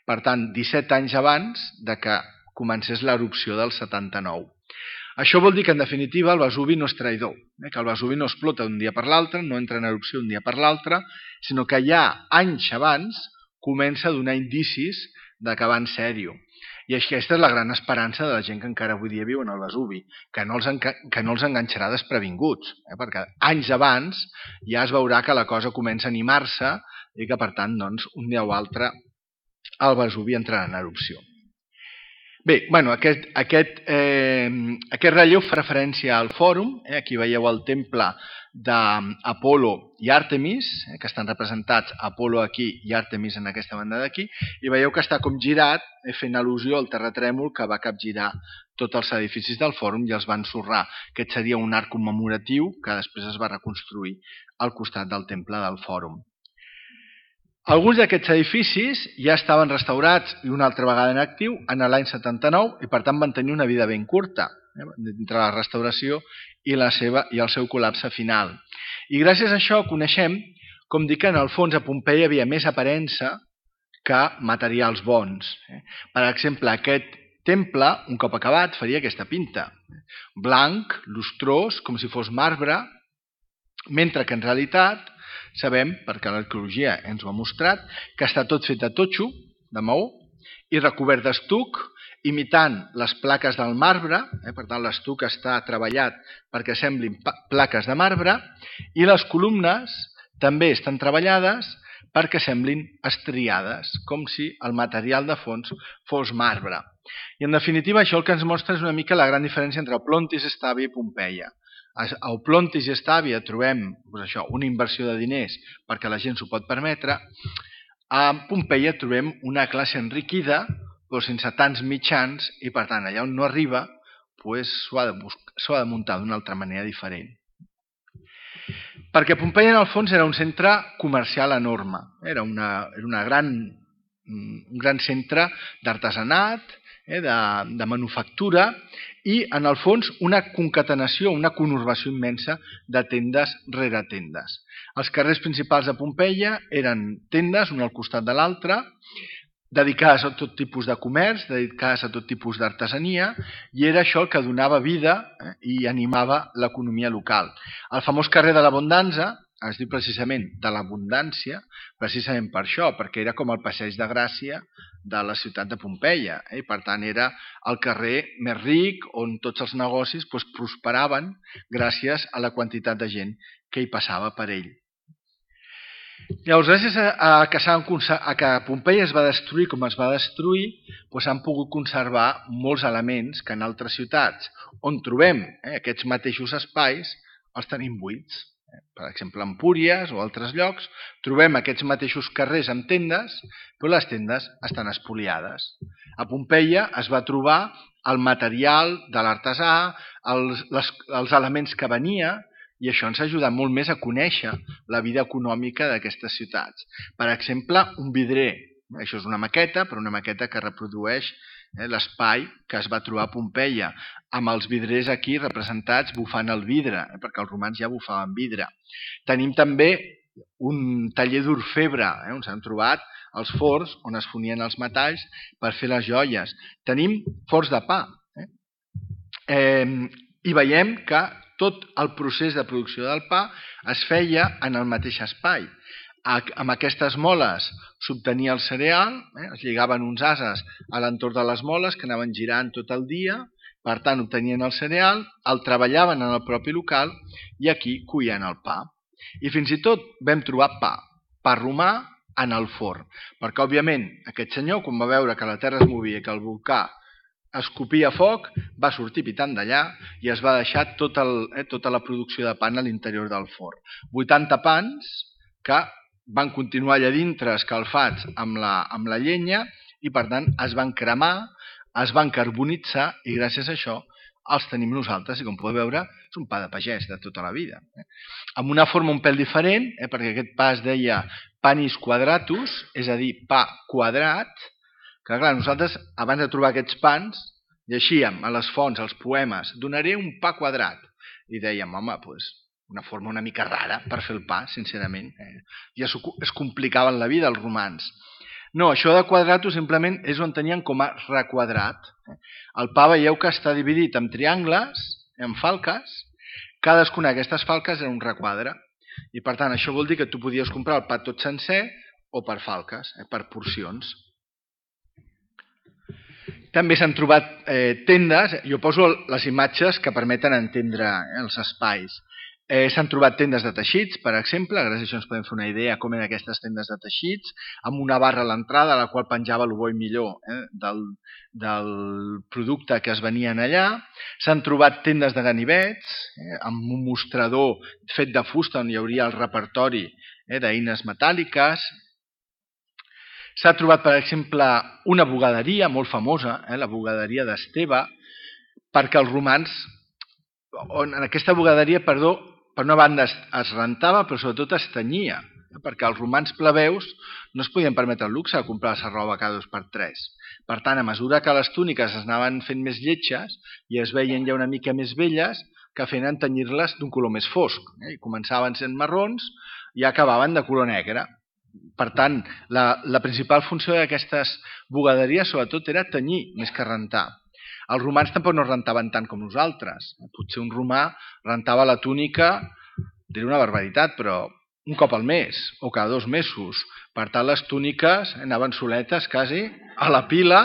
Per tant, 17 anys abans de que comencés l'erupció del 79. Això vol dir que, en definitiva, el Vesuvi no és traïdor, que el Vesuvi no explota d'un dia per l'altre, no entra en erupció un dia per l'altre, sinó que ja anys abans comença a donar indicis de que va en sèrio. I aquesta és la gran esperança de la gent que encara avui dia viu en el Vesuvi, que no els enganxarà desprevinguts, perquè anys abans ja es veurà que la cosa comença a animar-se i que, per tant, un dia o altre el Vesuvi entrarà en erupció. Bé, aquest relleu fa referència al Fòrum. Aquí veieu el temple d'Apol·lo i Àrtemis, que estan representats Apol·lo aquí i Àrtemis en aquesta banda d'aquí, i veieu que està com girat, fent al·lusió al terratrèmol que va capgirar tots els edificis del Fòrum i els va ensorrar. Aquest seria un arc commemoratiu que després es va reconstruir al costat del temple del Fòrum. Alguns d'aquests edificis ja estaven restaurats i una altra vegada en actiu en l'any 79 i per tant van tenir una vida ben curta entre la restauració i el seu col·lapse final. I gràcies a això coneixem, com dic, que en el fons a Pompeia hi havia més aparença que materials bons. Per exemple, aquest temple, un cop acabat, faria aquesta pinta. Blanc, lustrós, com si fos marbre, mentre que en realitat sabem, perquè l'arqueologia ens ho ha mostrat, que està tot fet de totxo, de maó, i recobert d'estuc, imitant les plaques del marbre, per tant l'estuc està treballat perquè semblin plaques de marbre, i les columnes també estan treballades perquè semblin estriades, com si el material de fons fos marbre. I en definitiva això el que ens mostra és una mica la gran diferència entre Plontis, Estàvia i Pompeia. A Plontis i Estàvia trobem una inversió de diners perquè la gent s'ho pot permetre. A Pompeia trobem una classe enriquida però sense tants mitjans i per tant allà on no arriba s'ho ha de muntar d'una altra manera diferent. Perquè Pompeia en el fons era un centre comercial enorme, era un gran centre d'artesanat, de manufactura i, en el fons, una concatenació, una conurbació immensa de tendes rere tendes. Els carrers principals de Pompeia eren tendes, un al costat de l'altre, dedicades a tot tipus de comerç, dedicades a tot tipus d'artesania, i era això el que donava vida i animava l'economia local. El famós carrer de l'Abundança es diu precisament de l'abundància, precisament per això, perquè era com el passeig de Gràcia de la ciutat de Pompeia, i per tant era el carrer més ric on tots els negocis prosperaven gràcies a la quantitat de gent que hi passava per ell. Llavors, gràcies a que Pompeia es va destruir com es va destruir, s'han pogut conservar molts elements que en altres ciutats on trobem aquests mateixos espais els tenim buits. Per exemple, a Empúries o altres llocs trobem aquests mateixos carrers amb tendes, però les tendes estan espoliades. A Pompeia es va trobar el material de l'artesà, els elements que venia, i això ens ha ajudat molt més a conèixer la vida econòmica d'aquestes ciutats. Per exemple, un vidrer. Això és una maqueta, però una maqueta que reprodueix l'espai que es va trobar a Pompeia, amb els vidrers aquí representats bufant el vidre, perquè els romans ja bufaven vidre. Tenim també un taller d'orfebre, on s'han trobat els forns on es fonien els metalls per fer les joies. Tenim forns de pa. I veiem que tot el procés de producció del pa es feia en el mateix espai. Amb aquestes moles s'obtenia el cereal, es lligaven uns ases a l'entorn de les moles que anaven girant tot el dia, per tant obtenien el cereal, el treballaven en el propi local i aquí cuien el pa. I fins i tot vam trobar pa romà en el forn, perquè òbviament aquest senyor, quan va veure que la terra es movia i que el volcà escopia foc, va sortir pitant d'allà i es va deixar tota la producció de pan a l'interior del forn. 80 pans que van continuar allà dintre escalfats amb la llenya i per tant es van cremar, es van carbonitzar i gràcies a això els tenim nosaltres i com podeu veure és un pa de pagès de tota la vida. Amb una forma un pèl diferent, perquè aquest pa es deia panis quadratus, és a dir, pa quadrat, que clar, nosaltres abans de trobar aquests pans llegíem a les fonts, als poemes, donaré un pa quadrat. I dèiem, home, una forma una mica rara per fer el pa, sincerament. Ja es complicaven la vida els romans. No, això de quadratus simplement és on tenien com a requadrat. El pa veieu que està dividit en triangles, en falques. Cadascuna d'aquestes falques era un requadre. I per tant, això vol dir que tu podies comprar el pa tot sencer o per falques, per porcions. També s'han trobat tendes, jo poso les imatges que permeten entendre els espais. S'han trobat tendes de teixits, per exemple, gràcies a això ens podem fer una idea com eren aquestes tendes de teixits, amb una barra a l'entrada a la qual penjava el bo i millor del producte que es venien allà. S'han trobat tendes de ganivets, amb un mostrador fet de fusta on hi hauria el repertori d'eines metàl·liques. S'ha trobat, per exemple, una bugaderia molt famosa, la bugaderia d'Esteve, perquè els romans, en aquesta bugaderia, per una banda es rentava, però sobretot es tenyia, perquè els romans plebeus no es podien permetre el luxe de comprar-se roba cada 2 per 3. Per tant, a mesura que les túniques es anaven fent més lletges i es veien ja una mica més velles, que feien tenyir-les d'un color més fosc. Començaven sent marrons i acabaven de color negre. Per tant, la principal funció d'aquestes bugaderies sobretot era tenyir més que rentar. Els romans tampoc no rentaven tant com nosaltres. Potser un romà rentava la túnica, diré una barbaritat, però un cop al mes o cada 2 mesos. Per tant, les túniques anaven soletes quasi a la pila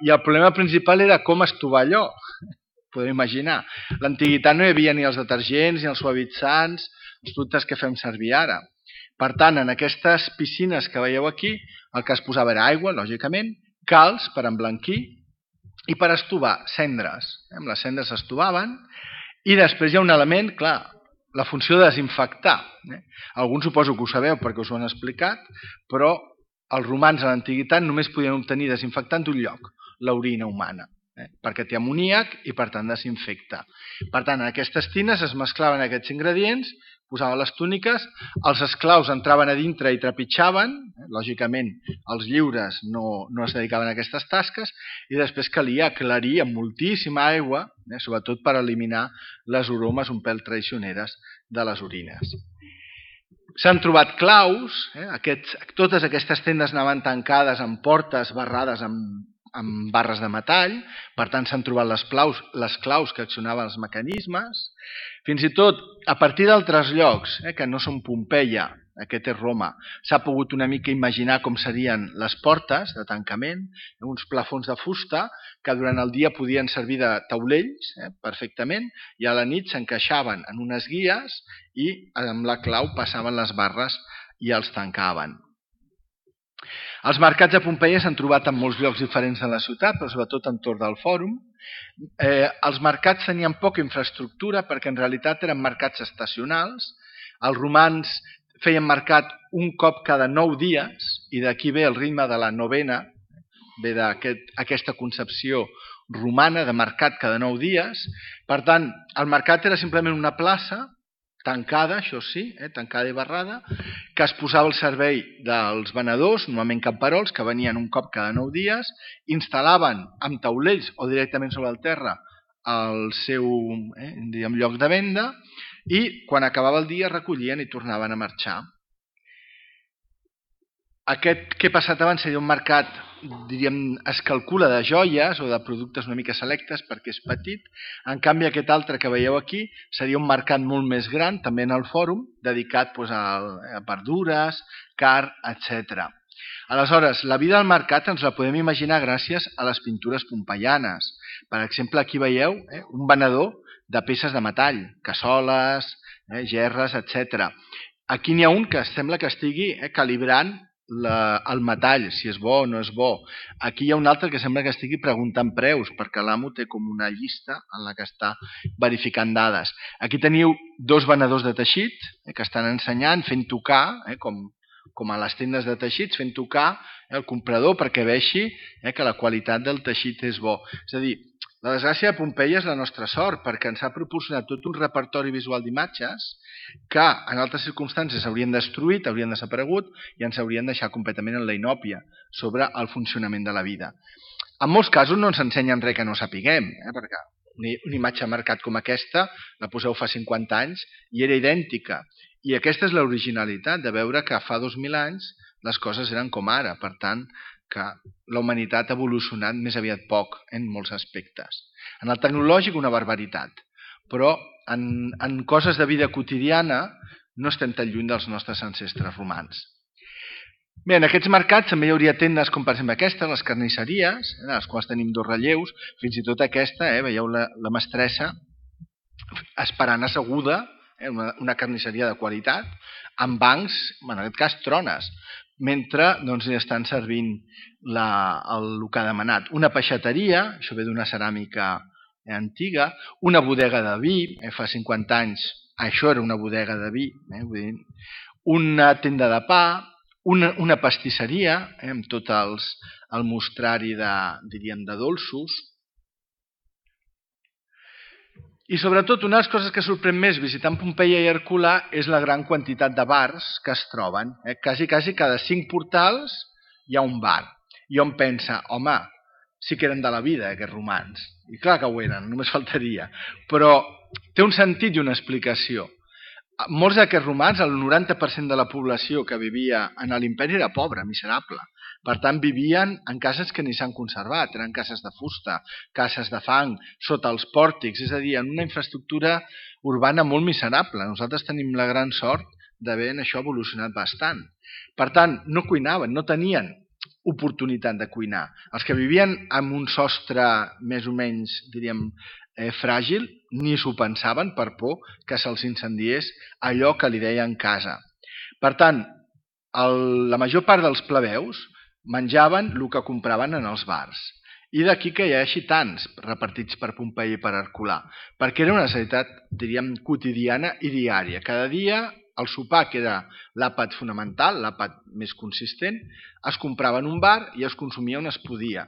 i el problema principal era com estovar allò. Podeu imaginar. A l'antiguitat no hi havia ni els detergents ni els suavitzants, els productes que fem servir ara. Per tant, en aquestes piscines que veieu aquí, el que es posava era aigua, lògicament, calç per emblanquir i per estovar cendres. Amb les cendres s'estovaven i després hi ha un element, clar, la funció de desinfectar. Alguns suposo que ho sabeu perquè us ho han explicat, però els romans a l'antiguitat només podien obtenir desinfectant d'un lloc, l'orina humana, perquè té amoníac i per tant desinfecta. Per tant, en aquestes tines es mesclaven aquests ingredients, posaven les túniques, els esclaus entraven a dintre i trepitjaven, lògicament els lliures no es dedicaven a aquestes tasques, i després calia aclarir amb moltíssima aigua, sobretot per eliminar les aromes un pèl traicioneres de les orines. S'han trobat claus, totes aquestes tendes anaven tancades amb portes barrades amb barres de metall, per tant s'han trobat les claus que accionaven els mecanismes. Fins i tot, a partir d'altres llocs, que no són Pompeia, aquest és Roma, s'ha pogut una mica imaginar com serien les portes de tancament, uns plafons de fusta que durant el dia podien servir de taulells perfectament i a la nit s'encaixaven en unes guies i amb la clau passaven les barres i els tancaven. Els mercats a Pompeia s'han trobat en molts llocs diferents de la ciutat, però sobretot entorn del fòrum. Els mercats tenien poca infraestructura perquè en realitat eren mercats estacionals. Els romans feien mercat un cop cada 9 dies i d'aquí ve el ritme de la novena, ve d'aquesta concepció romana de mercat cada 9 dies. Per tant, el mercat era simplement una plaça tancada, això sí, tancada i barrada, que es posava al servei dels venedors, normalment camperols, que venien un cop cada 9 dies, instal·laven amb taulells o directament sobre el terra el seu lloc de venda i quan acabava el dia recollien i tornaven a marxar. Aquest que he passat abans seria un mercat, diríem, es calcula de joies o de productes una mica selectes perquè és petit. En canvi, aquest altre que veieu aquí seria un mercat molt més gran, també en el fòrum, dedicat a verdures, carn, etc. Aleshores, la vida del mercat ens la podem imaginar gràcies a les pintures pompeianes. Per exemple, aquí veieu un venedor de peces de metall, cassoles, gerres, etc. Aquí n'hi ha un que sembla que estigui calibrant el metall, si és bo o no és bo. Aquí hi ha un altre que sembla que estigui preguntant preus, perquè l'amo té com una llista en la que està verificant dades. Aquí teniu dos venedors de teixit que estan ensenyant, fent tocar, com a les tendes de teixits, fent tocar el comprador perquè vegi que la qualitat del teixit és bo. És a dir, la desgràcia de Pompeia és la nostra sort, perquè ens ha proporcionat tot un repertori visual d'imatges que en altres circumstàncies s'haurien destruït, haurien desaparegut i ens haurien deixat completament en la inòpia sobre el funcionament de la vida. En molts casos no ens ensenyen res que no sapiguem, perquè una imatge de mercat com aquesta la poseu fa 50 anys i era idèntica. I aquesta és l'originalitat de veure que fa 2.000 anys les coses eren com ara, per tant, que la humanitat ha evolucionat més aviat poc en molts aspectes. En el tecnològic una barbaritat, però en coses de vida quotidiana no estem tan lluny dels nostres ancestres romans. Bé, en aquests mercats també hi hauria tendes com per exemple aquesta, les carnisseries, en les quals tenim dos relleus, fins i tot aquesta, veieu la mestressa esperant asseguda, una carnisseria de qualitat, amb bancs, en aquest cas trones, mentre estan servint el que ha demanat. Una peixateria, això ve d'una ceràmica antiga, una bodega de vi, fa 50 anys això era una bodega de vi, una tenda de pa, una pastisseria, amb tot el mostrari de dolços. I sobretot, una de les coses que sorprèn més visitant Pompeia i Herculà és la gran quantitat de bars que es troben. Quasi cada 5 portals hi ha un bar. I hom pensa, home, sí que eren de la vida aquests romans. I clar que ho eren, només faltaria. Però té un sentit i una explicació. Molts d'aquests romans, el 90% de la població que vivia en l'imperi era pobra, miserable. Per tant, vivien en cases que ni s'han conservat, eren cases de fusta, cases de fang, sota els pòrtics, és a dir, en una infraestructura urbana molt miserable. Nosaltres tenim la gran sort d'haver en això evolucionat bastant. Per tant, no cuinaven, no tenien oportunitat de cuinar. Els que vivien amb un sostre més o menys, diríem, fràgil, ni s'ho pensaven per por que se'ls incendiés allò que li deien casa. Per tant, la major part dels plebeus menjaven el que compraven en els bars. I d'aquí que hi hagi tants repartits per Pompeia i per Herculà, perquè era una necessitat, diríem, quotidiana i diària. Cada dia el sopar, que era l'àpat fonamental, l'àpat més consistent, es comprava en un bar i es consumia on es podia.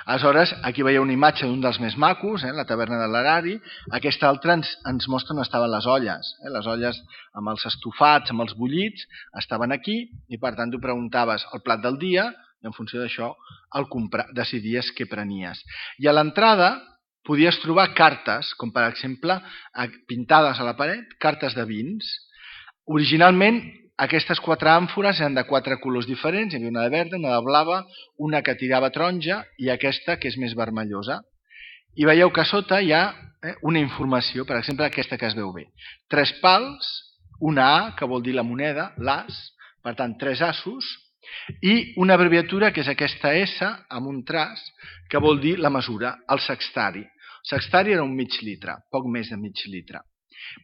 Aleshores, aquí veieu una imatge d'un dels més macos, la taverna de l'Erari. Aquesta altra ens mostra on estaven les olles. Les olles amb els estofats, amb els bullits, estaven aquí i per tant tu preguntaves el plat del dia i en funció d'això decidies què prenies. I a l'entrada podies trobar cartes, com per exemple pintades a la paret, cartes de vins. Originalment, aquestes 4 àmfores eren de 4 colors diferents, hi havia una de verda, una de blava, una que tirava taronja i aquesta que és més vermellosa. I veieu que a sota hi ha una informació, per exemple, aquesta que es veu bé. 3 pals, una A, que vol dir la moneda, l'as, per tant, 3 asos, i una abreviatura que és aquesta S amb un traç que vol dir la mesura, el sextari. El sextari era un mig litre, poc més de mig litre.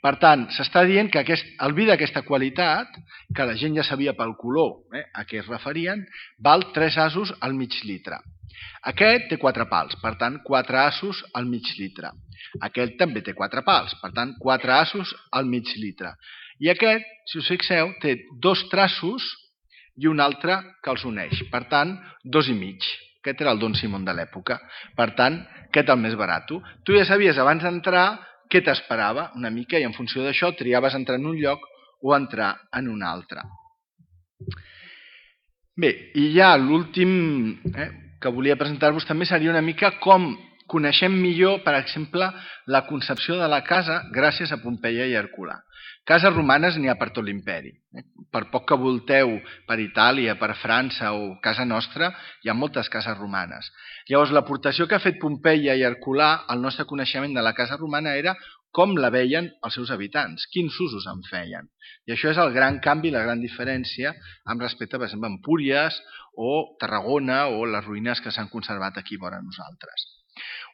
Per tant, s'està dient que el vi d'aquesta qualitat, que la gent ja sabia pel color a què es referien, val 3 asos al mig litre. Aquest té 4 pals, per tant, 4 asos al mig litre. Aquest també té 4 pals, per tant, 4 asos al mig litre. I aquest, si us fixeu, té 2 traços i un altre que els uneix. Per tant, 2,5. Aquest era el Don Simón de l'època. Per tant, aquest el més barat. Tu ja sabies abans d'entrar què t'esperava una mica i en funció d'això triaves entrar en un lloc o entrar en un altre. Bé, i ja l'últim que volia presentar-vos també seria una mica com coneixem millor, per exemple, la concepció de la casa gràcies a Pompeia i Herculà. Cases romanes n'hi ha per tot l'imperi. Per poc que volteu per Itàlia, per França o casa nostra, hi ha moltes cases romanes. Llavors, l'aportació que ha fet Pompeia i Herculà al nostre coneixement de la casa romana era com la veien els seus habitants, quins usos en feien. I això és el gran canvi, la gran diferència amb respecte, per exemple, a Empúries o Tarragona o les ruïnes que s'han conservat aquí vora nosaltres.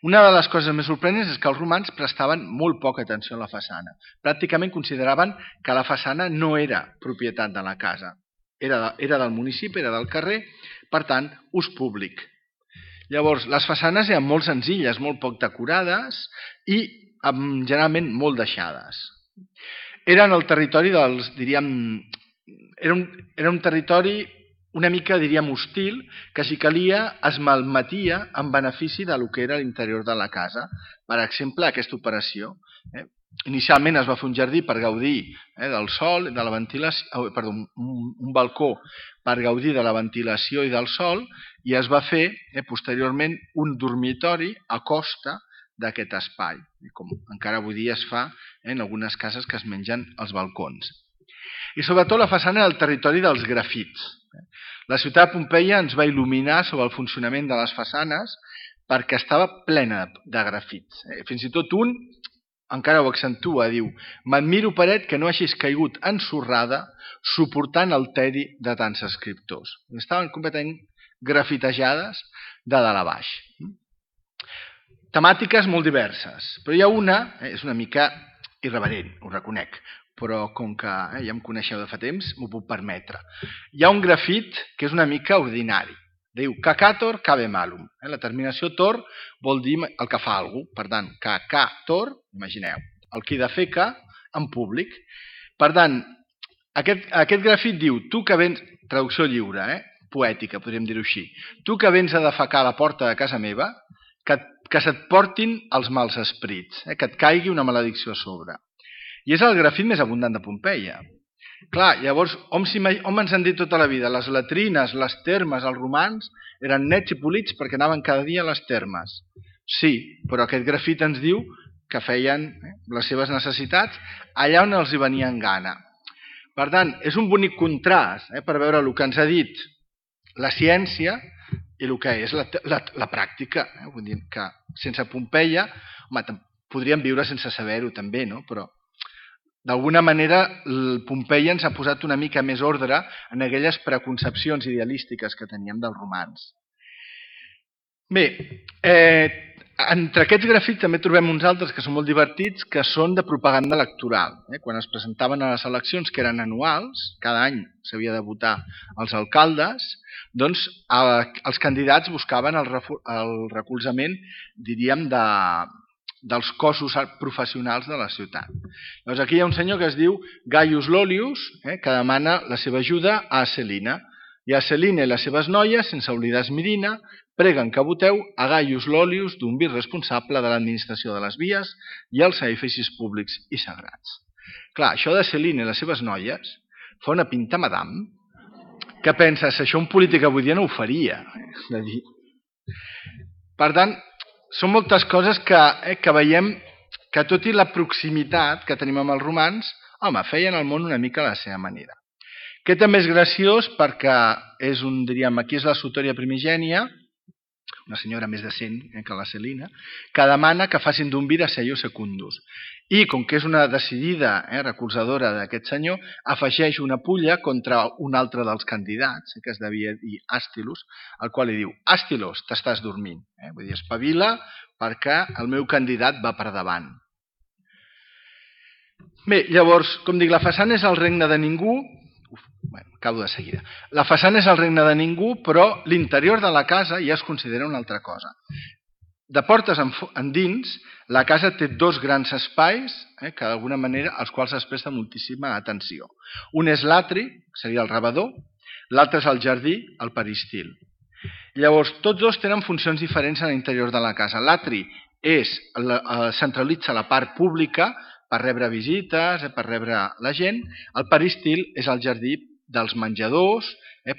Una de les coses més sorprenents és que els romans prestaven molt poca atenció a la façana. Pràcticament consideraven que la façana no era propietat de la casa. Era del municipi, era del carrer, per tant, ús públic. Llavors, les façanes eren molt senzilles, molt poc decorades i generalment molt deixades. Eren el territori dels, diríem, era un territori una mica, diríem, hostil, que si calia es malmetia en benefici del que era l'interior de la casa. Per exemple, aquesta operació. Inicialment es va fer un jardí per gaudir del sol, de la ventilació, perdó, un balcó per gaudir de la ventilació i del sol, i es va fer posteriorment un dormitori a costa d'aquest espai, com encara avui dia es fa en algunes cases que es mengen els balcons. I sobretot la façana del territori dels grafits. La ciutat de Pompeia ens va il·luminar sobre el funcionament de les façanes perquè estava plena de grafits. Fins i tot un encara ho accentua, diu: «M'admiro paret que no hagis caigut ensorrada suportant el tedi de tants escriptors». Estaven completament grafitejades de dalt a baix. Temàtiques molt diverses, però hi ha una, és una mica irreverent, ho reconec, però com que ja em coneixeu de fa temps, m'ho puc permetre. Hi ha un grafit que és una mica ordinari. Diu, cacator cabe malum. La terminació tor vol dir el que fa algú. Per tant, cacator, imagineu, el qui defeca en públic. Per tant, aquest grafit diu, tu que vens, traducció lliure, poètica, podríem dir-ho així, tu que vens a defecar a la porta de casa meva, que se't portin els mals esprits, que et caigui una maledicció a sobre. I és el grafit més abundant de Pompeia. Clar, llavors, hom ens han dit tota la vida? Les latrines, les termes, els romans eren nets i polits perquè anaven cada dia a les termes. Sí, però aquest grafit ens diu que feien les seves necessitats allà on els hi venia en gana. Per tant, és un bonic contrast per veure el que ens ha dit la ciència i el que és la pràctica. Vull dir que sense Pompeia, podríem viure sense saber-ho també, no? Però d'alguna manera, Pompeia ens ha posat una mica més ordre en aquelles preconcepcions idealístiques que teníem dels romans. Bé, entre aquests grafits també trobem uns altres que són molt divertits, que són de propaganda electoral. Quan es presentaven a les eleccions, que eren anuals, cada any s'havia de votar els alcaldes, doncs els candidats buscaven el recolzament, diríem, dels cossos professionals de la ciutat. Llavors aquí hi ha un senyor que es diu Gaius Lollius, que demana la seva ajuda a Celina. I a Celina i les seves noies, sense oblidar Esmirina, preguen que voteu a Gaius Lollius, d'un vir responsable de l'administració de les vies i els edificis públics i sagrats. Clar, això de Celina i les seves noies fa una pinta madame que penses, això un polític avui dia no ho faria. Per tant, són moltes coses que veiem que tot i la proximitat que tenim amb els romans, Home, feien el món una mica a la seva manera. Aquest també és graciós perquè és aquí és la sotòria primigènia, una senyora més decent que la Celina, que demana que facin d'un vir a Seio Secundus. I, com que és una decidida recolzadora d'aquest senyor, afegeix una pulla contra un altre dels candidats, que es devia dir Àstilus, al qual li diu: Àstilos, t'estàs dormint. Vull dir, espavila perquè el meu candidat va per davant. Bé, llavors, com dic, la façana és el regne de ningú. Acabo de seguida. La façana és el regne de ningú, però l'interior de la casa ja es considera una altra cosa. De portes endins, la casa té dos grans espais, que d'alguna manera als quals es presta moltíssima atenció. Un és l'atri, que seria el rebedor, l'altre és el jardí, el peristil. Llavors, tots dos tenen funcions diferents a l'interior de la casa. L'atri centralitza la part pública per rebre visites, per rebre la gent. El peristil és el jardí dels menjadors,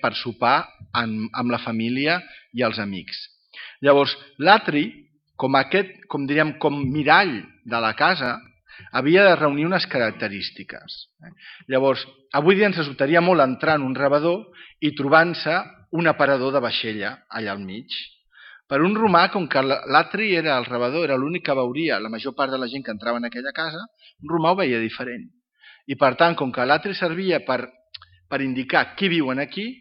per sopar amb la família i els amics. Llavors, l'atri, com mirall de la casa, havia de reunir unes característiques. Llavors, avui dia ens resultaria molt entrar en un rebedor i trobant-se un aparador de vaixella allà al mig. Per un romà, com que l'atri era el rebedor, era l'únic que veuria la major part de la gent que entrava en aquella casa, un romà ho veia diferent. I per tant, com que l'atri servia per indicar qui viuen aquí,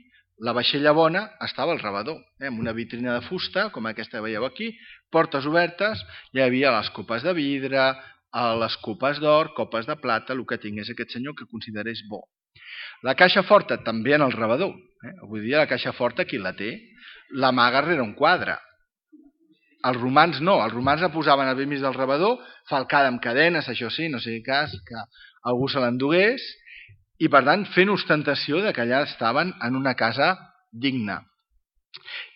la vaixella bona estava al rebedor, amb una vitrina de fusta, com aquesta que veieu aquí, portes obertes, hi havia les copes de vidre, les copes d'or, copes de plata, el que tingués aquest senyor que considerés bo. La caixa forta també en el rebedor. Avui dia la caixa forta qui la té? L'amaga rere un quadre. Els romans no, els romans la posaven al mig del rebedor, falcada amb cadenes, això sí, no sigui cas que algú se l'endugués, i per tant fent ostentació que allà estaven en una casa digna.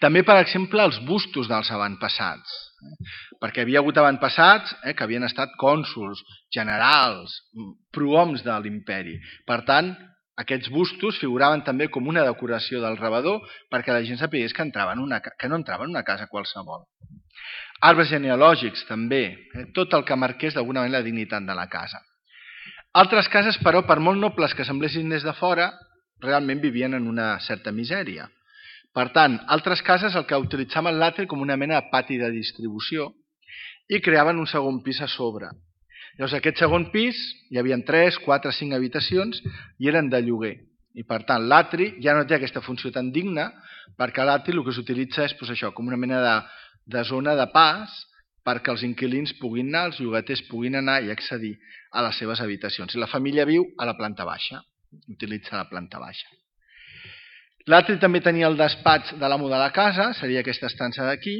També, per exemple, els bustos dels avantpassats, perquè havia hagut avantpassats que havien estat cònsols, generals, prohoms de l'imperi. Per tant, aquests bustos figuraven també com una decoració del rebedor perquè la gent sapigués que no entrava en una casa qualsevol. Arbres genealògics també, tot el que marqués d'alguna manera la dignitat de la casa. Altres cases, però, per molt nobles que semblessin des de fora, realment vivien en una certa misèria. Per tant, altres cases el que utilitzaven l'atri com una mena de pati de distribució i creaven un segon pis a sobre. Llavors, aquest segon pis hi havia 3, 4, 5 habitacions i eren de lloguer. I per tant, l'atri ja no té aquesta funció tan digna perquè l'atri el que s'utilitza és com una mena de zona de pas perquè els inquilins puguin anar, els llogaters puguin anar i accedir a les seves habitacions. I la família viu a la planta baixa, utilitza la planta baixa. L'atri també tenia el despatx de l'amo de la casa, seria aquesta estança d'aquí,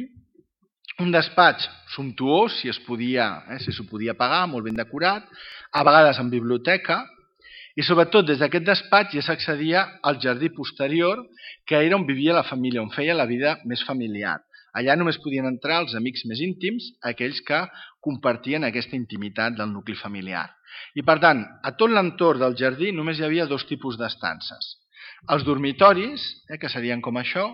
un despatx sumptuós, si s'ho podia pagar, molt ben decorat, a vegades amb biblioteca, i sobretot des d'aquest despatx ja s'accedia al jardí posterior, que era on vivia la família, on feia la vida més familiar. Allà només podien entrar els amics més íntims, aquells que compartien aquesta intimitat del nucli familiar. I per tant, a tot l'entorn del jardí només hi havia dos tipus d'estances. Els dormitoris, que serien com això,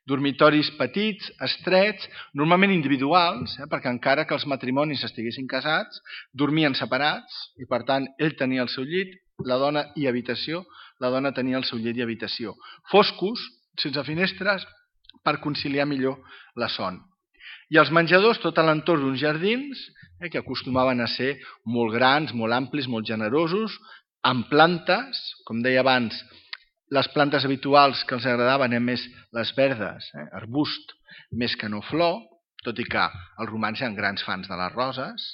dormitoris petits, estrets, normalment individuals, perquè encara que els matrimonis estiguessin casats, dormien separats i per tant ell tenia el seu llit, la dona i habitació, la dona tenia el seu llit i habitació. Foscos, sense finestres, per conciliar millor la son. I els menjadors, tot a l'entorn d'uns jardins, que acostumaven a ser molt grans, molt amplis, molt generosos, amb plantes, com deia abans, les plantes habituals que els agradaven eren més les verdes, arbust, més que no flor, tot i que els romans eren grans fans de les roses.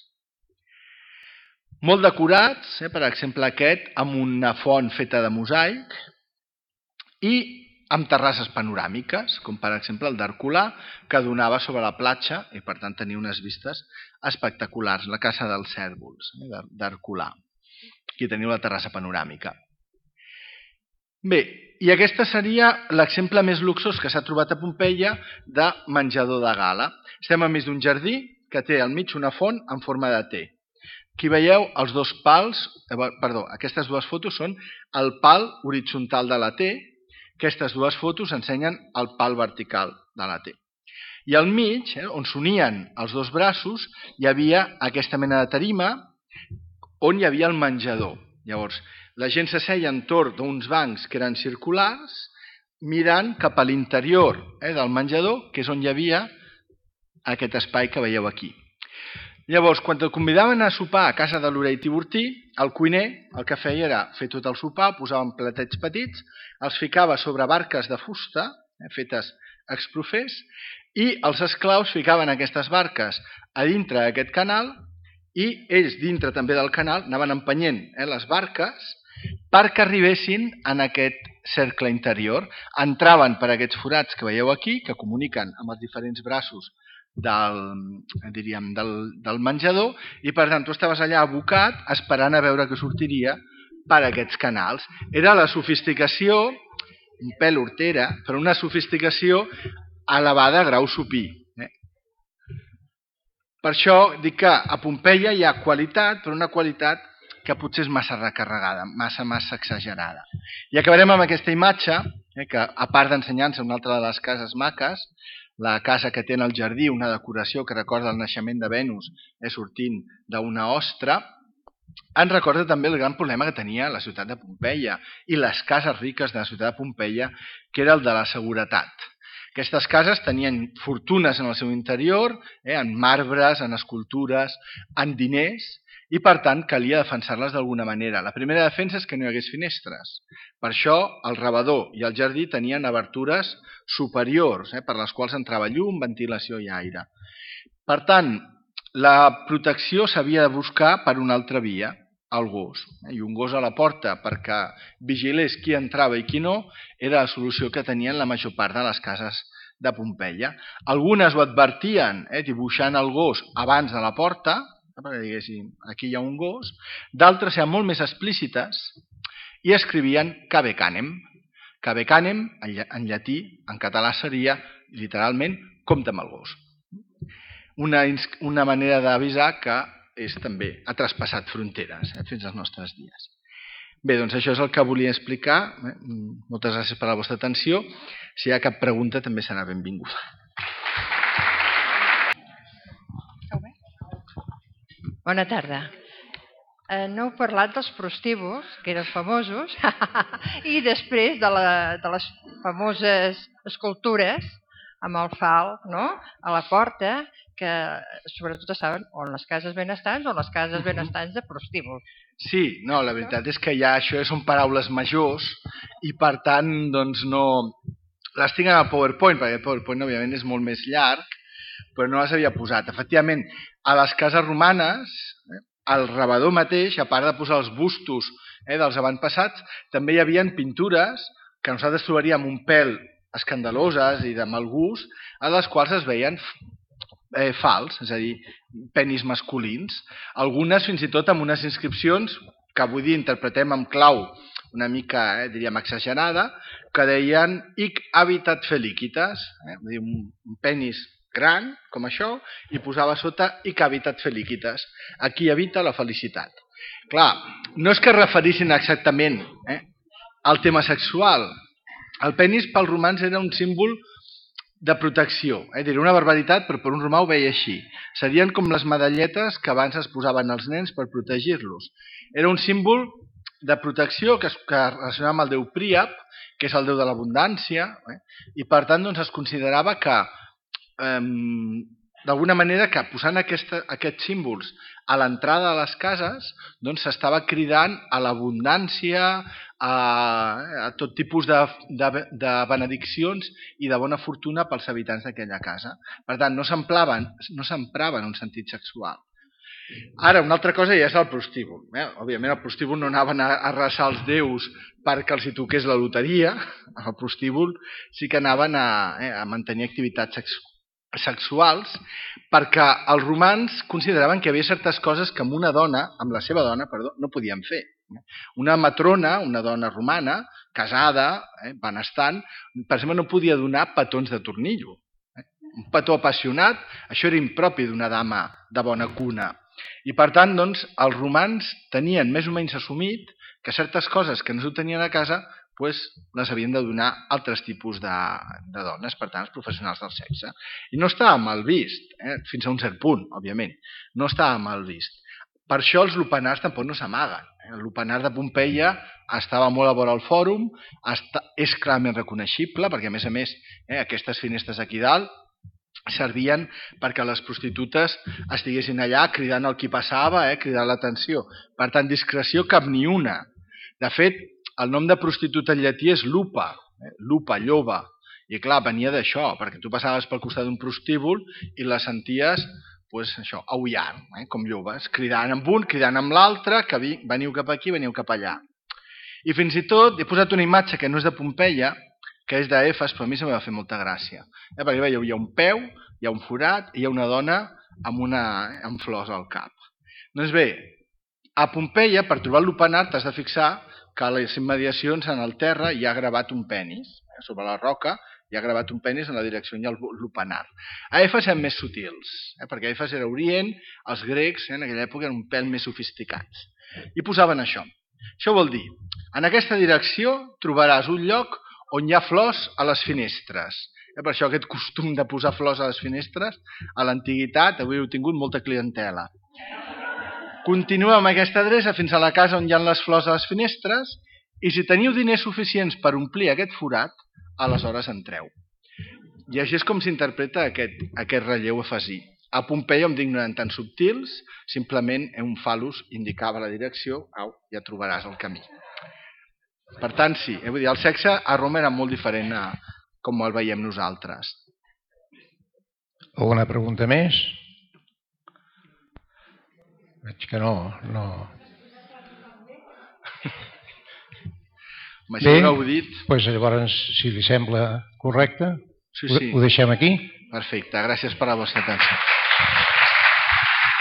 Molt decorats, per exemple aquest, amb una font feta de mosaic i amb terrasses panoràmiques, com per exemple el d'Herculà, que donava sobre la platja i per tant tenia unes vistes espectaculars, la casa dels cèrvols d'Herculà. Aquí teniu la terrassa panoràmica. Bé, i aquest seria l'exemple més luxós que s'ha trobat a Pompeia de menjador de gala. Estem enmig d'un jardí que té al mig una font en forma de T. Aquí veieu els dos pals, aquestes dues fotos són el pal horitzontal de la T. Aquestes dues fotos ensenyen el pal vertical de la T. I al mig, on s'unien els dos braços, hi havia aquesta mena de tarima on hi havia el menjador. Llavors, la gent s'asseia entorn d'uns bancs que eren circulars, mirant cap a l'interior del menjador, que és on hi havia aquest espai que veieu aquí. Llavors, quan et convidaven a sopar a casa de l'Orell Tiburtí, el cuiner el que feia era fer tot el sopar, posaven platets petits, els ficava sobre barques de fusta, fetes exprofers, i els esclaus ficaven aquestes barques a dintre d'aquest canal i ells, dintre també del canal, anaven empenyent les barques perquè arribessin en aquest cercle interior. Entraven per aquests forats que veieu aquí, que comuniquen amb els diferents braços del menjador, i per tant tu estaves allà abocat esperant a veure què sortiria per aquests canals. Era la sofisticació, un pèl hortera, però una sofisticació elevada a grau supí. Per això dic que a Pompeia hi ha qualitat, però una qualitat que potser és massa recarregada, massa exagerada. I acabarem amb aquesta imatge, que a part d'ensenyar-nos una altra de les cases maques, la casa que té en el jardí, una decoració que recorda el naixement de Venus sortint d'una ostra, ens recorda també el gran problema que tenia la ciutat de Pompeia i les cases riques de la ciutat de Pompeia, que era el de la seguretat. Aquestes cases tenien fortunes en el seu interior, en marbres, en escultures, en diners, i per tant calia defensar-les d'alguna manera. La primera defensa és que no hi hagués finestres. Per això el rebedor i el jardí tenien obertures superiors, per les quals entrava llum, ventilació i aire. Per tant, la protecció s'havia de buscar per una altra via, el gos. I un gos a la porta perquè vigilés qui entrava i qui no era la solució que tenien la major part de les cases de Pompeia. Algunes ho advertien, dibuixant el gos abans de la porta, perquè diguéssim, aquí hi ha un gos, d'altres eren molt més explícites i escrivien cave canem. Cave canem, en llatí, en català seria, literalment, compte amb el gos. Una manera d'avisar que també ha traspassat fronteres fins als nostres dies. Bé, doncs això és el que volia explicar. Moltes gràcies per la vostra atenció. Si hi ha cap pregunta, també serà benvinguda. Bona tarda. No heu parlat dels prostíbuls, que eren famosos, i després de les famoses escultures amb el fal a la porta, que sobretot estaven o en les cases benestants o en les cases benestants de prostíbuls. Sí, no, la veritat és que ja això són paraules majors i per tant doncs no... Les tinc en el PowerPoint, perquè el PowerPoint òbviament és molt més llarg, però no les havia posat. Efectivament, a les cases romanes, el rebedor mateix, a part de posar els bustos dels avantpassats, també hi havia pintures que nosaltres trobaríem un pèl escandaloses i de mal gust, a les quals es veien fals, és a dir, penis masculins. Algunes fins i tot amb unes inscripcions que avui dia interpretem amb clau una mica, diríem, exagerada, que deien hic habitat felicitas, un penis gran, com això, i posava sota hic habitat felicitas, aquí habita la felicitat. Clar, no és que es referissin exactament al tema sexual. El penis pels romans era un símbol de protecció. Diré una barbaritat, però per un romà ho veia així. Serien com les medalletes que abans es posaven als nens per protegir-los. Era un símbol de protecció que es relacionava amb el déu Príap, que és el déu de l'abundància, i per tant es considerava que, d'alguna manera, que posant aquests símbols a l'entrada de les cases s'estava cridant a l'abundància, a tot tipus de benediccions i de bona fortuna pels habitants d'aquella casa. Per tant, no s'emprava en un sentit sexual. Ara, una altra cosa ja és el prostíbul. Òbviament, al prostíbul no anaven a resar els déus perquè els hi toqués la loteria. Al prostíbul sí que anaven a mantenir activitats sexuals, perquè els romans consideraven que hi havia certes coses que amb una dona, amb la seva dona, no podien fer. Una matrona, una dona romana, casada, benestant, per exemple, no podia donar petons de tornillo. Un petó apassionat, això era impropi d'una dama de bona cuna. I per tant, els romans tenien més o menys assumit que certes coses que no s'ho tenien a casa les havien de donar altres tipus de dones, per tant, els professionals del sexe. I no estava mal vist, fins a un cert punt, òbviament. No estava mal vist. Per això els lupanars tampoc no s'amaguen. El lupanar de Pompeia estava molt a vora el fòrum, és clarament reconeixible, perquè a més, aquestes finestres aquí dalt servien perquè les prostitutes estiguessin allà cridant el qui passava, cridant l'atenció. Per tant, discreció cap ni una. De fet, el nom de prostituta en llatí és lupa, lupa, lloba. I clar, venia d'això, perquè tu passaves pel costat d'un prostíbul i la senties aullant, com llobes, cridant amb un, cridant amb l'altre, que veniu cap aquí, veniu cap allà. I fins i tot he posat una imatge que no és de Pompeia, que és d'Efes, però a mi se m'ha fet molta gràcia. Perquè veieu, hi ha un peu, hi ha un forat i hi ha una dona amb flors al cap. Doncs bé, a Pompeia, per trobar el lupanar, t'has de fixar que a les immediacions en el terra hi ha gravat un penis. Sobre la roca hi ha gravat un penis en la direcció on hi ha el lupanar. A Efes eren més sutils, perquè Efes era Orient, els grecs en aquella època eren un pèl més sofisticats. I posaven això. Això vol dir, en aquesta direcció trobaràs un lloc on hi ha flors a les finestres. Per això aquest costum de posar flors a les finestres, a l'antiguitat, avui heu tingut molta clientela. Continueu amb aquesta adreça fins a la casa on hi ha les flors a les finestres i si teniu diners suficients per omplir aquest forat, aleshores entreu. I així és com s'interpreta aquest relleu efesí. A Pompeia, amb d'ignorant tan subtils, simplement un fal·lus indicava la direcció, ja trobaràs el camí. Per tant, sí, vull dir, el sexe a Roma era molt diferent a com el veiem nosaltres. Alguna pregunta més? Veig que no. Bé, doncs llavors, si li sembla correcte, sí. Ho deixem aquí. Perfecte, gràcies per la vostra atenció.